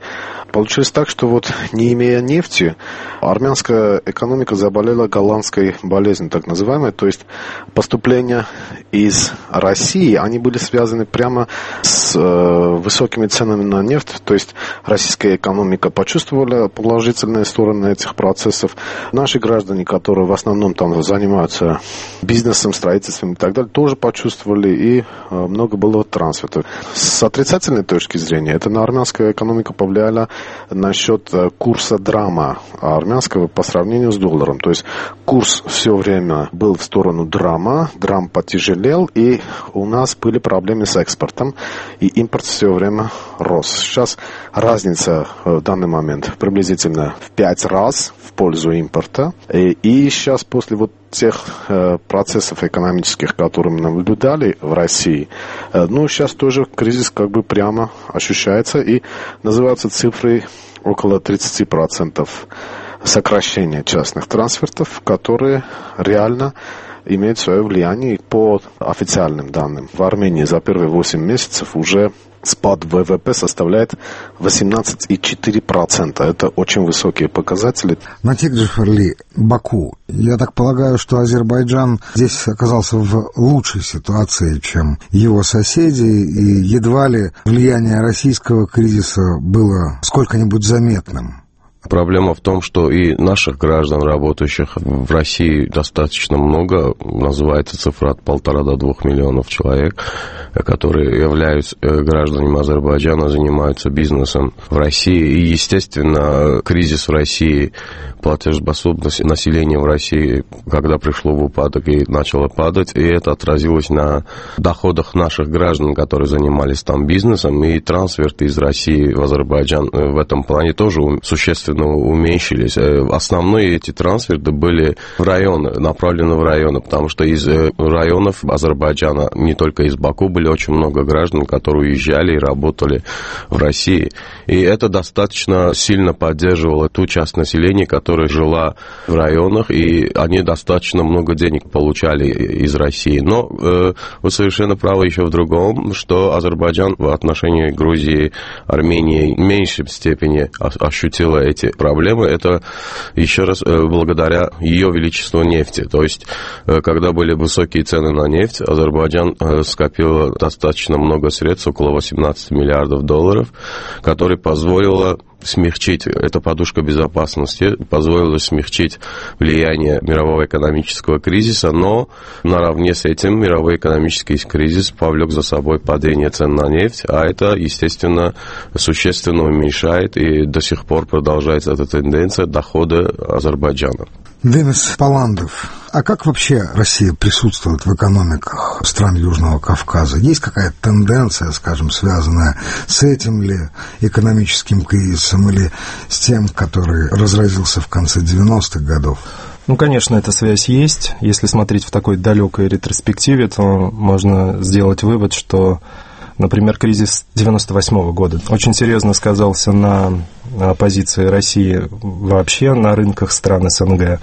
Получилось так, что вот не имея нефти, армянская экономика заболела голландской болезнью, так называемой, то есть поступления из России, они были связаны прямо с высокими ценами на нефть, то есть российская экономика почувствовала положительные стороны этих процессов. Наши граждане, которые в основном там занимаются бизнесом, строительством и так далее, тоже почувствовали, и много было трансфертов. С отрицательной точки зрения, это на армянскую экономику повлияло насчет курса драма армянского по сравнению с долларом. То есть курс все время был в сторону драма, драм потяжелел, и у нас были проблемы с экспортом, и импорт все время рос. Сейчас разница в данный момент приблизительно в 5 раз в пользу импорта. И сейчас после вот тех процессов экономических, которые мы наблюдали в России, сейчас тоже кризис как бы прямо ощущается, и называются цифры около 30% сокращения частных трансфертов, которые реально имеют свое влияние. По официальным данным, в Армении за первые 8 месяцев уже спад ВВП составляет 18,4%. Это очень высокие показатели. Натик Джафарли, Баку. Я так полагаю, что Азербайджан здесь оказался в лучшей ситуации, чем его соседи, и едва ли влияние российского кризиса было сколько-нибудь заметным. Проблема в том, что и наших граждан, работающих в России, достаточно много. Называется цифра от 1,5 до 2 миллионов человек, которые являются гражданами Азербайджана, занимаются бизнесом в России. И, естественно, кризис в России, платежеспособность населения в России, когда пришло в упадок и начало падать, и это отразилось на доходах наших граждан, которые занимались там бизнесом, и трансферты из России в Азербайджан в этом плане тоже существенно уменьшились. Основные эти трансферты были в районы, направлены в районы, потому что из районов Азербайджана, не только из Баку, были очень много граждан, которые уезжали и работали в России. И это достаточно сильно поддерживало ту часть населения, которая жила в районах, и они достаточно много денег получали из России. Но вы совершенно правы еще в другом, что Азербайджан в отношении Грузии, Армении в меньшей степени ощутила эти проблемы. Это еще раз благодаря ее величеству нефти. То есть, когда были высокие цены на нефть, Азербайджан скопил достаточно много средств, около 18 миллиардов долларов, которые позволило смягчить, эта подушка безопасности позволила смягчить влияние мирового экономического кризиса, но наравне с этим мировой экономический кризис повлек за собой падение цен на нефть, а это, естественно, существенно уменьшает, и до сих пор продолжается эта тенденция дохода Азербайджана. Денис Паландов, а как вообще Россия присутствует в экономиках стран Южного Кавказа? Есть какая-то тенденция, скажем, связанная с этим ли экономическим кризисом или с тем, который разразился в конце 90-х годов? Конечно, эта связь есть. Если смотреть в такой далекой ретроспективе, то можно сделать вывод, что, например, кризис 98 года очень серьезно сказался на позиции России вообще на рынках стран СНГ.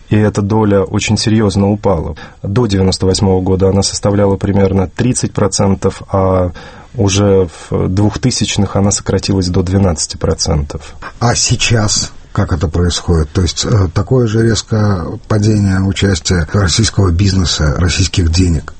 И эта доля очень серьезно упала. До 98 года она составляла примерно 30%, а уже в 2000-х она сократилась до 12%. А сейчас как это происходит? То есть такое же резкое падение участия российского бизнеса, российских денег?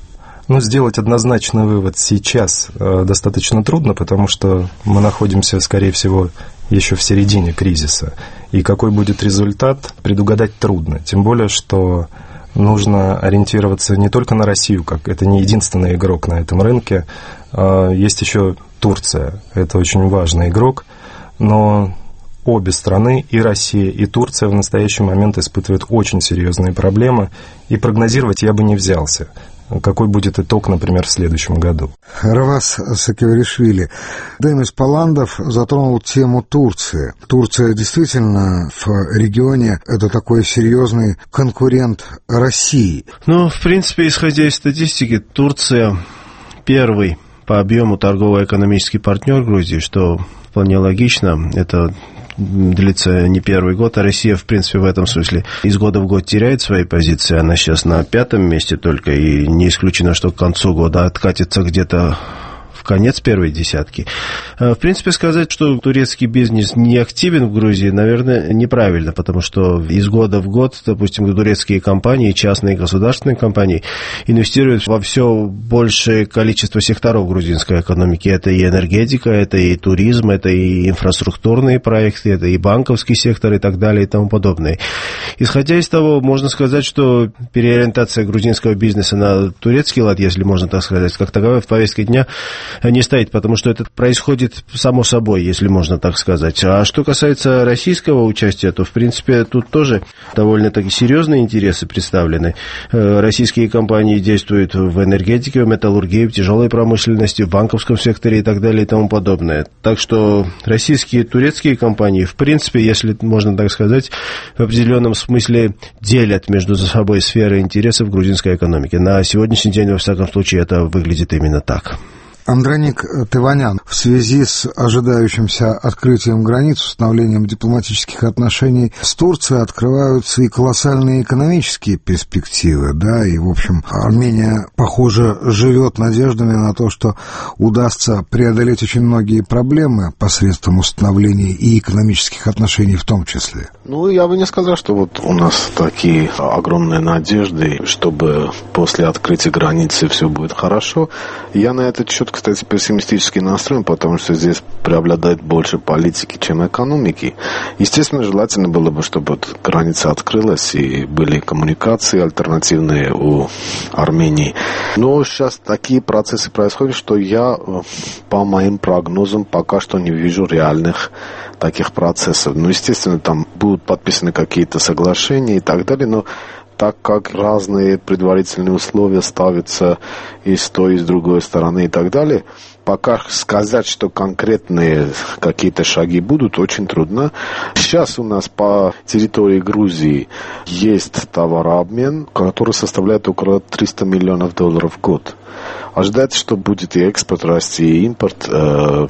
Сделать однозначный вывод сейчас достаточно трудно, потому что мы находимся, скорее всего, еще в середине кризиса. И какой будет результат, предугадать трудно. Тем более, что нужно ориентироваться не только на Россию, как это не единственный игрок на этом рынке. Есть еще Турция. Это очень важный игрок. Но обе страны, и Россия, и Турция, в настоящий момент испытывают очень серьезные проблемы. И прогнозировать я бы не взялся. какой будет итог, например, в следующем году. Равас Саакашвили. Демис Паландов затронул тему Турции. Турция действительно в регионе это такой серьезный конкурент России. Ну, в принципе, исходя из статистики, Турция первый по объему торгово-экономический партнер Грузии, что вполне логично. Это длится не первый год, а Россия, в принципе, в этом смысле из года в год теряет свои позиции. Она сейчас на 5-м месте только, и не исключено, что к концу года откатится где-то в конец первой десятки. В принципе, сказать, что турецкий бизнес не активен в Грузии, наверное, неправильно, потому что из года в год, допустим, турецкие компании, частные и государственные компании инвестируют во все большее количество секторов грузинской экономики. Это и энергетика, это и туризм, это и инфраструктурные проекты, это и банковский сектор и так далее и тому подобное. Исходя из того, можно сказать, что переориентация грузинского бизнеса на турецкий лад, если можно так сказать, как таковая в повестке дня не стоит, потому что это происходит само собой, если можно так сказать. А что касается российского участия, то, в принципе, тут тоже довольно-таки серьезные интересы представлены. Российские компании действуют в энергетике, в металлургии, в тяжелой промышленности, в банковском секторе и так далее и тому подобное. Так что российские и турецкие компании, в принципе, если можно так сказать, в определенном смысле делят между собой сферы интересов грузинской экономики. На сегодняшний день, во всяком случае, это выглядит именно так. Андроник Тыванян, в связи с ожидающимся открытием границ, установлением дипломатических отношений с Турцией открываются и колоссальные экономические перспективы, да, и, в общем, Армения, похоже, живет надеждами на то, что удастся преодолеть очень многие проблемы посредством установления и экономических отношений в том числе. Ну, я бы не сказал, что вот у нас такие огромные надежды, чтобы после открытия границы все будет хорошо. Я на этот счет, кстати, пессимистически настроен, потому что здесь преобладает больше политики, чем экономики. Естественно, желательно было бы, чтобы граница открылась и были коммуникации альтернативные у Армении. Но сейчас такие процессы происходят, что я, по моим прогнозам, пока что не вижу реальных таких процессов. Ну, естественно, там будут подписаны какие-то соглашения и так далее, но так как разные предварительные условия ставятся и с той, и с другой стороны и так далее, пока сказать, что конкретные какие-то шаги будут, очень трудно. Сейчас у нас по территории Грузии есть товарообмен, который составляет около $300 миллионов в год. Ожидается, что будет и экспорт расти, и импорт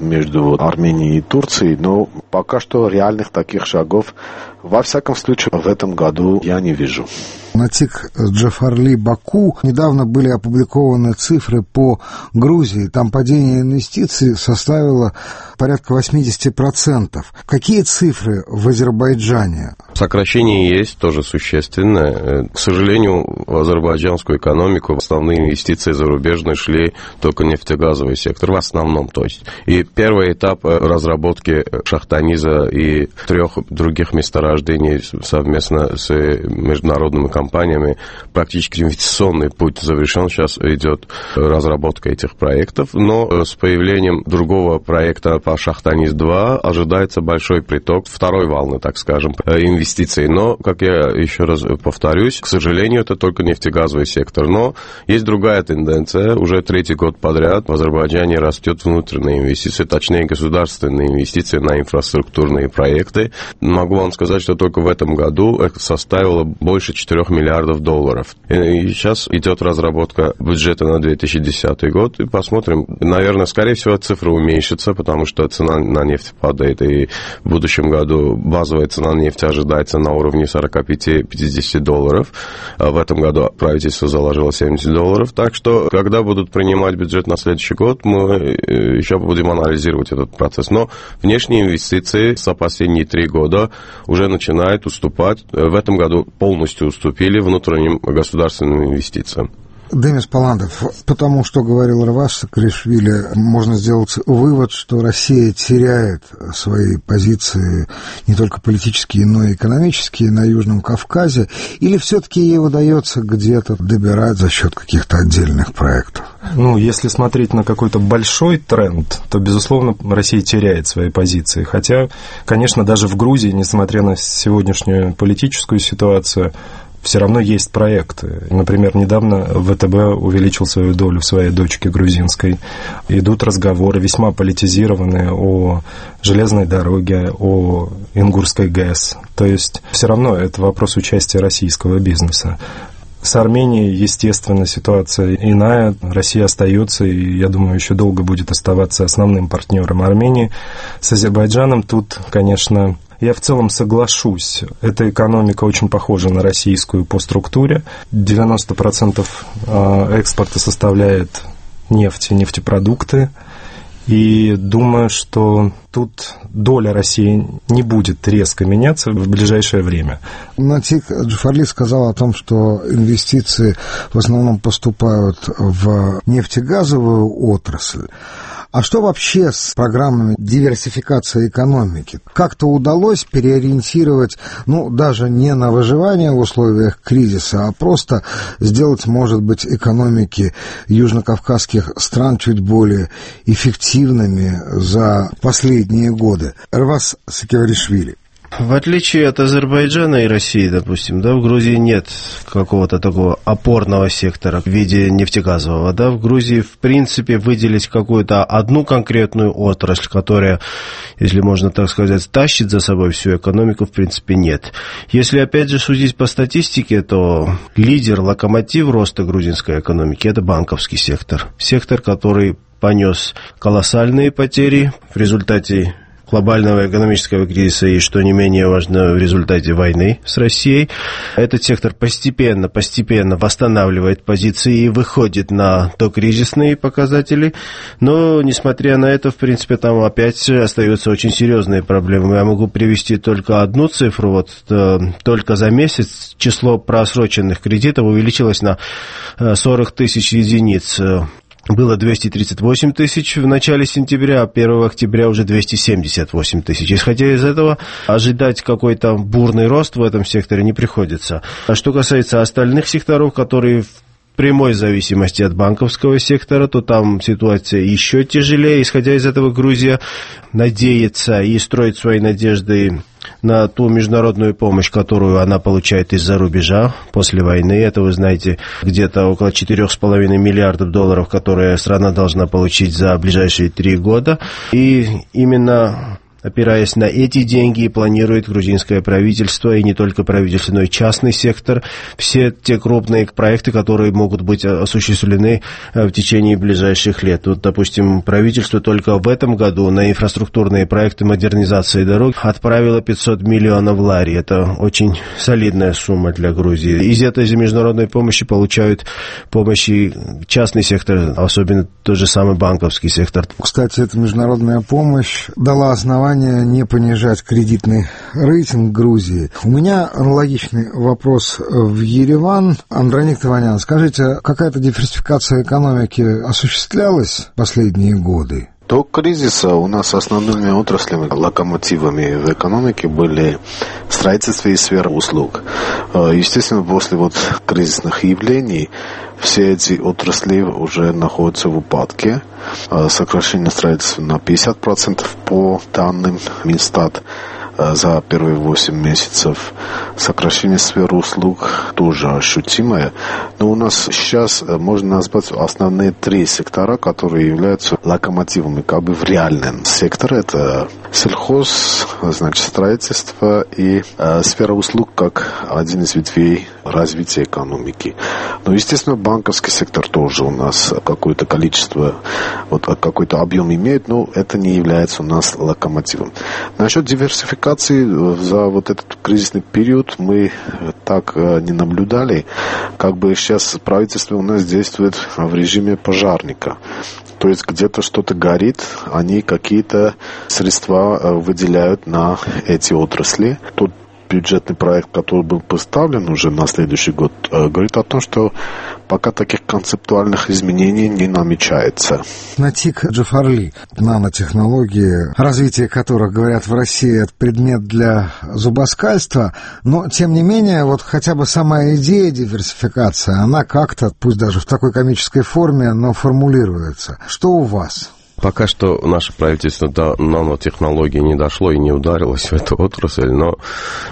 между Арменией и Турцией, но пока что реальных таких шагов, во всяком случае, в этом году я не вижу. Натик Джафарли Баку недавно были опубликованы цифры по Грузии. Там падение инвестиций составило порядка 80%. Какие цифры в Азербайджане? Сокращение есть, тоже существенное. К сожалению, в азербайджанскую экономику основные инвестиции зарубежные шли только нефтегазовый сектор, в основном, то есть. И первый этап разработки Шахтаниза и 3 других месторождений совместно с международными компаниями, практически инвестиционный путь завершен. Сейчас идет разработка этих проектов, но с появлением другого проекта по Шахтаниз-2 ожидается большой приток второй волны, так скажем, инвестиций. Но, как я еще раз повторюсь, к сожалению, это только нефтегазовый сектор. Но есть другая тенденция. Уже 3-й год подряд в Азербайджане растет внутренние инвестиции, точнее государственные инвестиции на инфраструктурные проекты. Могу вам сказать, что только в этом году это составило больше $4 миллиардов. И сейчас идет разработка бюджета на 2010 год. И посмотрим. Наверное, скорее всего, цифра уменьшится, потому что цена на нефть падает. И в будущем году базовая цена нефти ожидается на уровне $45-50. А в этом году правительство заложило $70. Так что, когда будут принимать бюджет на следующий год, мы еще будем анализировать этот процесс. Но внешние инвестиции за последние 3 года уже начинают уступать. В этом году полностью уступили внутренним государственным инвестициям. Демис Паландов, потому что говорил Равас Саакашвили, можно сделать вывод, что Россия теряет свои позиции не только политические, но и экономические на Южном Кавказе, или все-таки ей удается где-то добирать за счет каких-то отдельных проектов? Ну, если смотреть на какой-то большой тренд, то, безусловно, Россия теряет свои позиции. Хотя, конечно, даже в Грузии, несмотря на сегодняшнюю политическую ситуацию, все равно есть проекты. Например, недавно ВТБ увеличил свою долю в своей дочке грузинской. Идут разговоры весьма политизированные о железной дороге, о Ингурской ГЭС. То есть все равно это вопрос участия российского бизнеса. С Арменией, естественно, ситуация иная. Россия остается, и, я думаю, еще долго будет оставаться основным партнером Армении. С Азербайджаном тут, конечно, я в целом соглашусь. Эта экономика очень похожа на российскую по структуре. 90% экспорта составляет нефть и нефтепродукты. И думаю, что тут доля России не будет резко меняться в ближайшее время. Натик Джафарли сказал о том, что инвестиции в основном поступают в нефтегазовую отрасль. А что вообще с программами диверсификации экономики? Как-то удалось переориентировать, даже не на выживание в условиях кризиса, а просто сделать, может быть, экономики южнокавказских стран чуть более эффективными за последние годы. Эрвас Сакеваришвили. В отличие от Азербайджана и России, допустим, в Грузии нет какого-то такого опорного сектора в виде нефтегазового. В Грузии, в принципе, выделить какую-то одну конкретную отрасль, которая, если можно так сказать, тащит за собой всю экономику, в принципе, нет. Если, опять же, судить по статистике, то лидер, локомотив роста грузинской экономики – это банковский сектор. Сектор, который понес колоссальные потери в результате глобального экономического кризиса и, что не менее важно, в результате войны с Россией. Этот сектор постепенно восстанавливает позиции и выходит на докризисные показатели, но, несмотря на это, в принципе, там опять остаются очень серьезные проблемы. Я могу привести только одну цифру. Только за месяц число просроченных кредитов увеличилось на 40 тысяч единиц. Было 238 тысяч в начале сентября, а 1 октября уже 278 тысяч. Исходя из этого, ожидать какой-то бурный рост в этом секторе не приходится. А что касается остальных секторов, которые в прямой зависимости от банковского сектора, то там ситуация еще тяжелее. Исходя из этого, Грузия надеется и строит свои надежды на ту международную помощь, которую она получает из-за рубежа после войны. Это, вы знаете, где-то около 4,5 миллиардов долларов, которые страна должна получить за ближайшие 3 года. И именно опираясь на эти деньги, планирует грузинское правительство, и не только правительство, но и частный сектор, все те крупные проекты, которые могут быть осуществлены в течение ближайших лет. Допустим, правительство только в этом году на инфраструктурные проекты модернизации дорог отправило 500 миллионов лари. Это очень солидная сумма для Грузии. Из этой международной помощи получают помощи частный сектор, особенно тот же самый банковский сектор. Кстати, эта международная помощь дала основание не понижать кредитный рейтинг Грузии. У меня аналогичный вопрос в Ереван. Андроник Таванян, скажите, какая-то диверсификация экономики осуществлялась в последние годы? До кризиса у нас основными отраслями, локомотивами в экономике были строительство и сфера услуг. Естественно, после кризисных явлений все эти отрасли уже находятся в упадке. Сокращение строительства на 50% по данным Минстат за первые 8 месяцев. Сокращение сферы услуг тоже ощутимое. Но у нас сейчас можно назвать основные 3 сектора, которые являются локомотивами в реальном секторе. Это сельхоз, строительство и сфера услуг как один из ветвей развития экономики. Но, естественно, банковский сектор тоже у нас какое-то количество, какой-то объем имеет, но это не является у нас локомотивом. Насчет диверсификации за этот кризисный период мы так не наблюдали. Сейчас правительство у нас действует в режиме пожарника. То есть где-то что-то горит, они какие-то средства выделяют на эти отрасли. Тот бюджетный проект, который был поставлен уже на следующий год, говорит о том, что пока таких концептуальных изменений не намечается. Натик Джафарли, нанотехнологии, развитие которых, говорят, в России это предмет для зубоскальства, но, тем не менее, хотя бы сама идея диверсификации, она как-то, пусть даже в такой комической форме, но формулируется. Что у вас? Пока что наше правительство до нанотехнологий не дошло и не ударилось в эту отрасль, но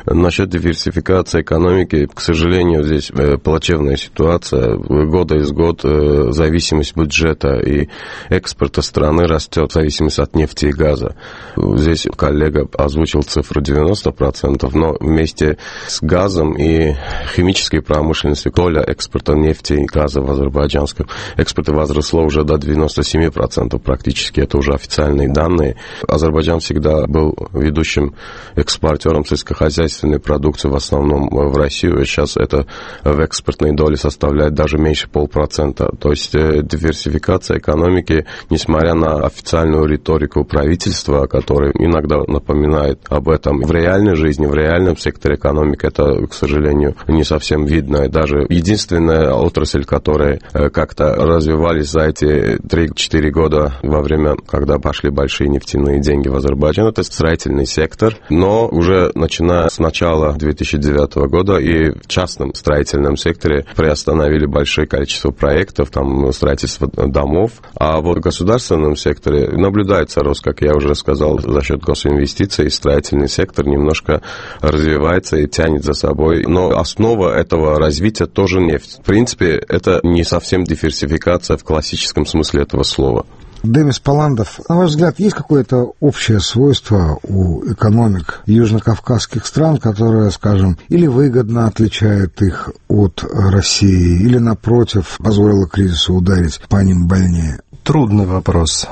насчет диверсификации экономики, к сожалению, здесь плачевная ситуация. Года из года зависимость бюджета и экспорта страны растет в зависимости от нефти и газа. Здесь коллега озвучил цифру 90%, но вместе с газом и химической промышленностью доля экспорта нефти и газа в азербайджанском экспорте возросло уже до 97% практически. Это уже официальные данные. Азербайджан всегда был ведущим экспортером сельскохозяйственной продукции, в основном в Россию. И сейчас это в экспортной доле составляет даже меньше 0,5%. То есть диверсификация экономики, несмотря на официальную риторику правительства, которая иногда напоминает об этом, в реальной жизни, в реальном секторе экономики это, к сожалению, не совсем видно. Даже единственная отрасль, которая как-то развивались за эти 3-4 года во время, когда пошли большие нефтяные деньги в Азербайджан, это строительный сектор, но уже начиная с начала 2009 года и в частном строительном секторе приостановили большое количество проектов, там строительство домов, а вот в государственном секторе наблюдается рост, как я уже сказал, за счет госинвестиций, строительный сектор немножко развивается и тянет за собой, но основа этого развития тоже нефть. В принципе, это не совсем диверсификация в классическом смысле этого слова. Демис Паландов, на ваш взгляд, есть какое-то общее свойство у экономик южнокавказских стран, которое, скажем, или выгодно отличает их от России, или, напротив, позволило кризису ударить по ним больнее? Трудный вопрос.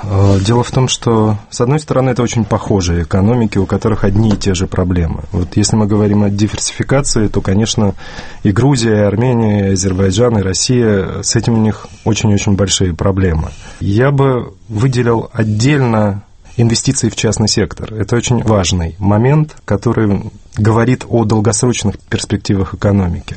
Дело в том, что, с одной стороны, это очень похожие экономики, у которых одни и те же проблемы. Вот если мы говорим о диверсификации, то, конечно, и Грузия, и Армения, и Азербайджан, и Россия, с этим у них очень-очень большие проблемы. Я бы выделил отдельно инвестиции в частный сектор. Это очень важный момент, который говорит о долгосрочных перспективах экономики.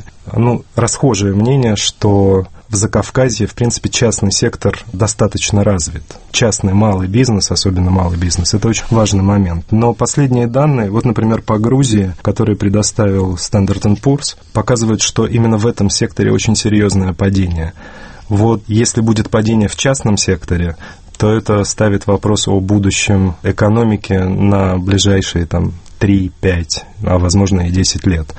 Расхожее мнение, что в Закавказье, в принципе, частный сектор достаточно развит. Частный малый бизнес, особенно малый бизнес, это очень важный момент. Но последние данные, вот, например, по Грузии, которые предоставил Standard & Poor's, показывают, что именно в этом секторе очень серьезное падение. Вот если будет падение в частном секторе, то это ставит вопрос о будущем экономики на ближайшие 3-5, а возможно и 10 лет.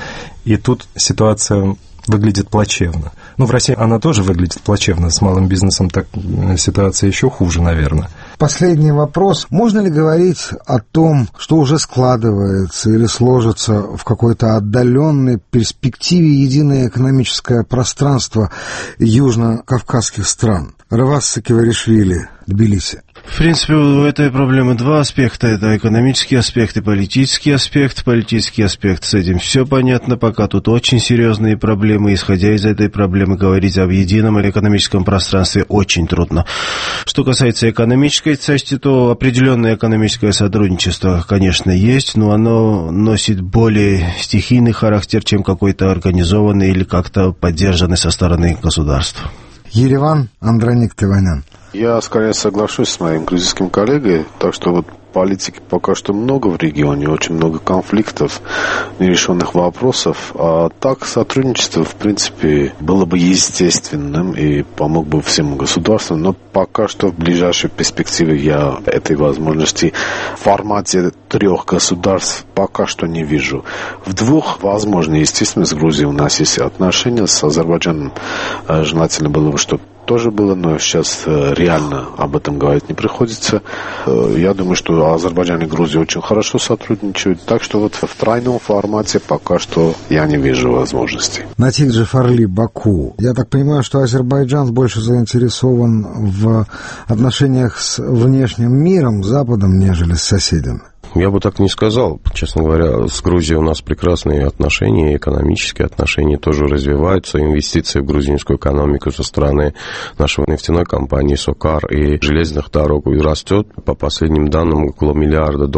И тут ситуация выглядит плачевно. В России она тоже выглядит плачевно, с малым бизнесом так ситуация еще хуже, наверное. Последний вопрос. Можно ли говорить о том, что уже складывается или сложится в какой-то отдаленной перспективе единое экономическое пространство южно-кавказских стран? Равас Сакиваришвили, Тбилиси. В принципе, у этой проблемы два аспекта. Это экономический аспект и политический аспект. Политический аспект, с этим все понятно. Пока тут очень серьезные проблемы. Исходя из этой проблемы, говорить об едином экономическом пространстве очень трудно. Что касается экономической части, то определенное экономическое сотрудничество, конечно, есть, но оно носит более стихийный характер, чем какой-то организованный или как-то поддержанный со стороны государства. Ереван, Андроник Теванян. Я скорее соглашусь с моим грузинским коллегой, так что политики пока что много в регионе, очень много конфликтов, нерешенных вопросов, а так сотрудничество, в принципе, было бы естественным и помог бы всем государствам, но пока что в ближайшей перспективе я этой возможности в формате 3 государств пока что не вижу. В 2, возможно, естественно, с Грузией у нас есть отношения, с Азербайджаном желательно было бы, чтобы тоже было, но сейчас реально об этом говорить не приходится. Я думаю, что Азербайджан и Грузия очень хорошо сотрудничают, так что в тройном формате пока что я не вижу возможностей. Натик Джафарли, Баку. Я так понимаю, что Азербайджан больше заинтересован в отношениях с внешним миром, Западом, нежели с соседями. Я бы так не сказал. Честно говоря, с Грузией у нас прекрасные отношения, экономические отношения тоже развиваются. Инвестиции в грузинскую экономику со стороны нашей нефтяной компании «Сокар» и железных дорог растет. По последним данным, около $1 миллиарда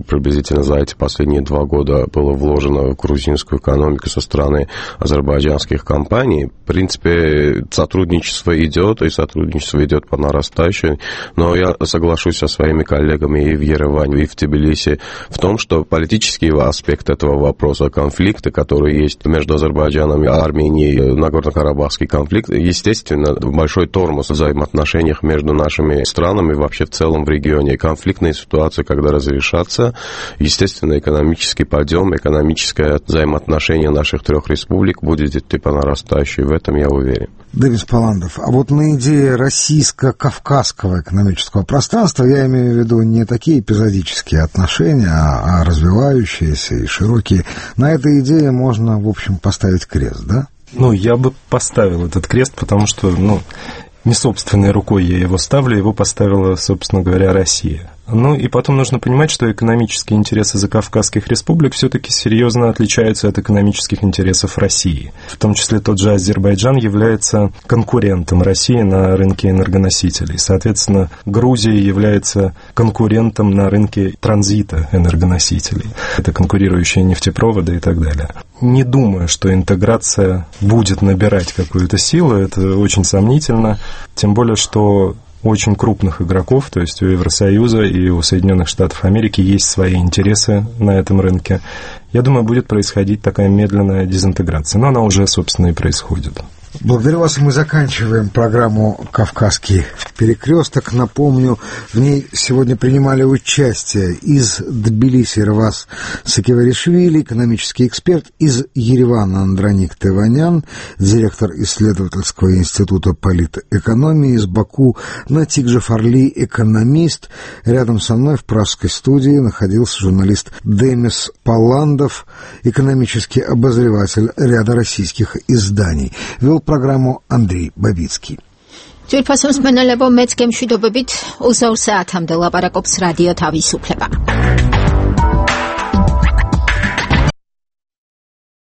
приблизительно за эти последние 2 года было вложено в грузинскую экономику со стороны азербайджанских компаний. В принципе, сотрудничество идет, и сотрудничество идет по нарастающей. Но я соглашусь со своими коллегами и в Ереване, и в Тбилиси, Тбилиси в том, что политический аспект этого вопроса, конфликта, который есть между Азербайджаном и Арменией, Нагорно-Карабахский конфликт, естественно, большой тормоз в взаимоотношениях между нашими странами и вообще в целом в регионе. Конфликтные ситуации, когда разрешатся, естественно, экономический подъем, экономическое взаимоотношение наших трех республик будет идти по нарастающей, в этом я уверен. Демис Палландов, а вот на идее российско-кавказского экономического пространства я имею в виду не такие эпизодические отношения, а развивающиеся и широкие. На этой идее можно, в общем, поставить крест, да? Я бы поставил этот крест, потому что, не собственной рукой я его ставлю, его поставила, собственно говоря, Россия. И потом нужно понимать, что экономические интересы закавказских республик все-таки серьезно отличаются от экономических интересов России. В том числе тот же Азербайджан является конкурентом России на рынке энергоносителей. Соответственно, Грузия является конкурентом на рынке транзита энергоносителей. Это конкурирующие нефтепроводы и так далее. Не думаю, что интеграция будет набирать какую-то силу, это очень сомнительно, тем более, что у очень крупных игроков, то есть у Евросоюза и у Соединенных Штатов Америки есть свои интересы на этом рынке. Я думаю, будет происходить такая медленная дезинтеграция, но она уже, собственно, и происходит. Благодарю вас, и мы заканчиваем программу «Кавказский перекресток». Напомню, в ней сегодня принимали участие из Тбилиси Рвас Сакиваришвили, экономический эксперт, из Еревана Андроник Теванян, директор исследовательского института политэкономии, из Баку Натик Джафарли, экономист. Рядом со мной в пражской студии находился журналист Демис Палландов, экономический обозреватель ряда российских изданий. Вел программу Андрей Бабицкий. Ձերբասում սմենալեվո մեծ կեմշուդովებით 8 საათამდე լապարակობს ռադիո თავისუფლება.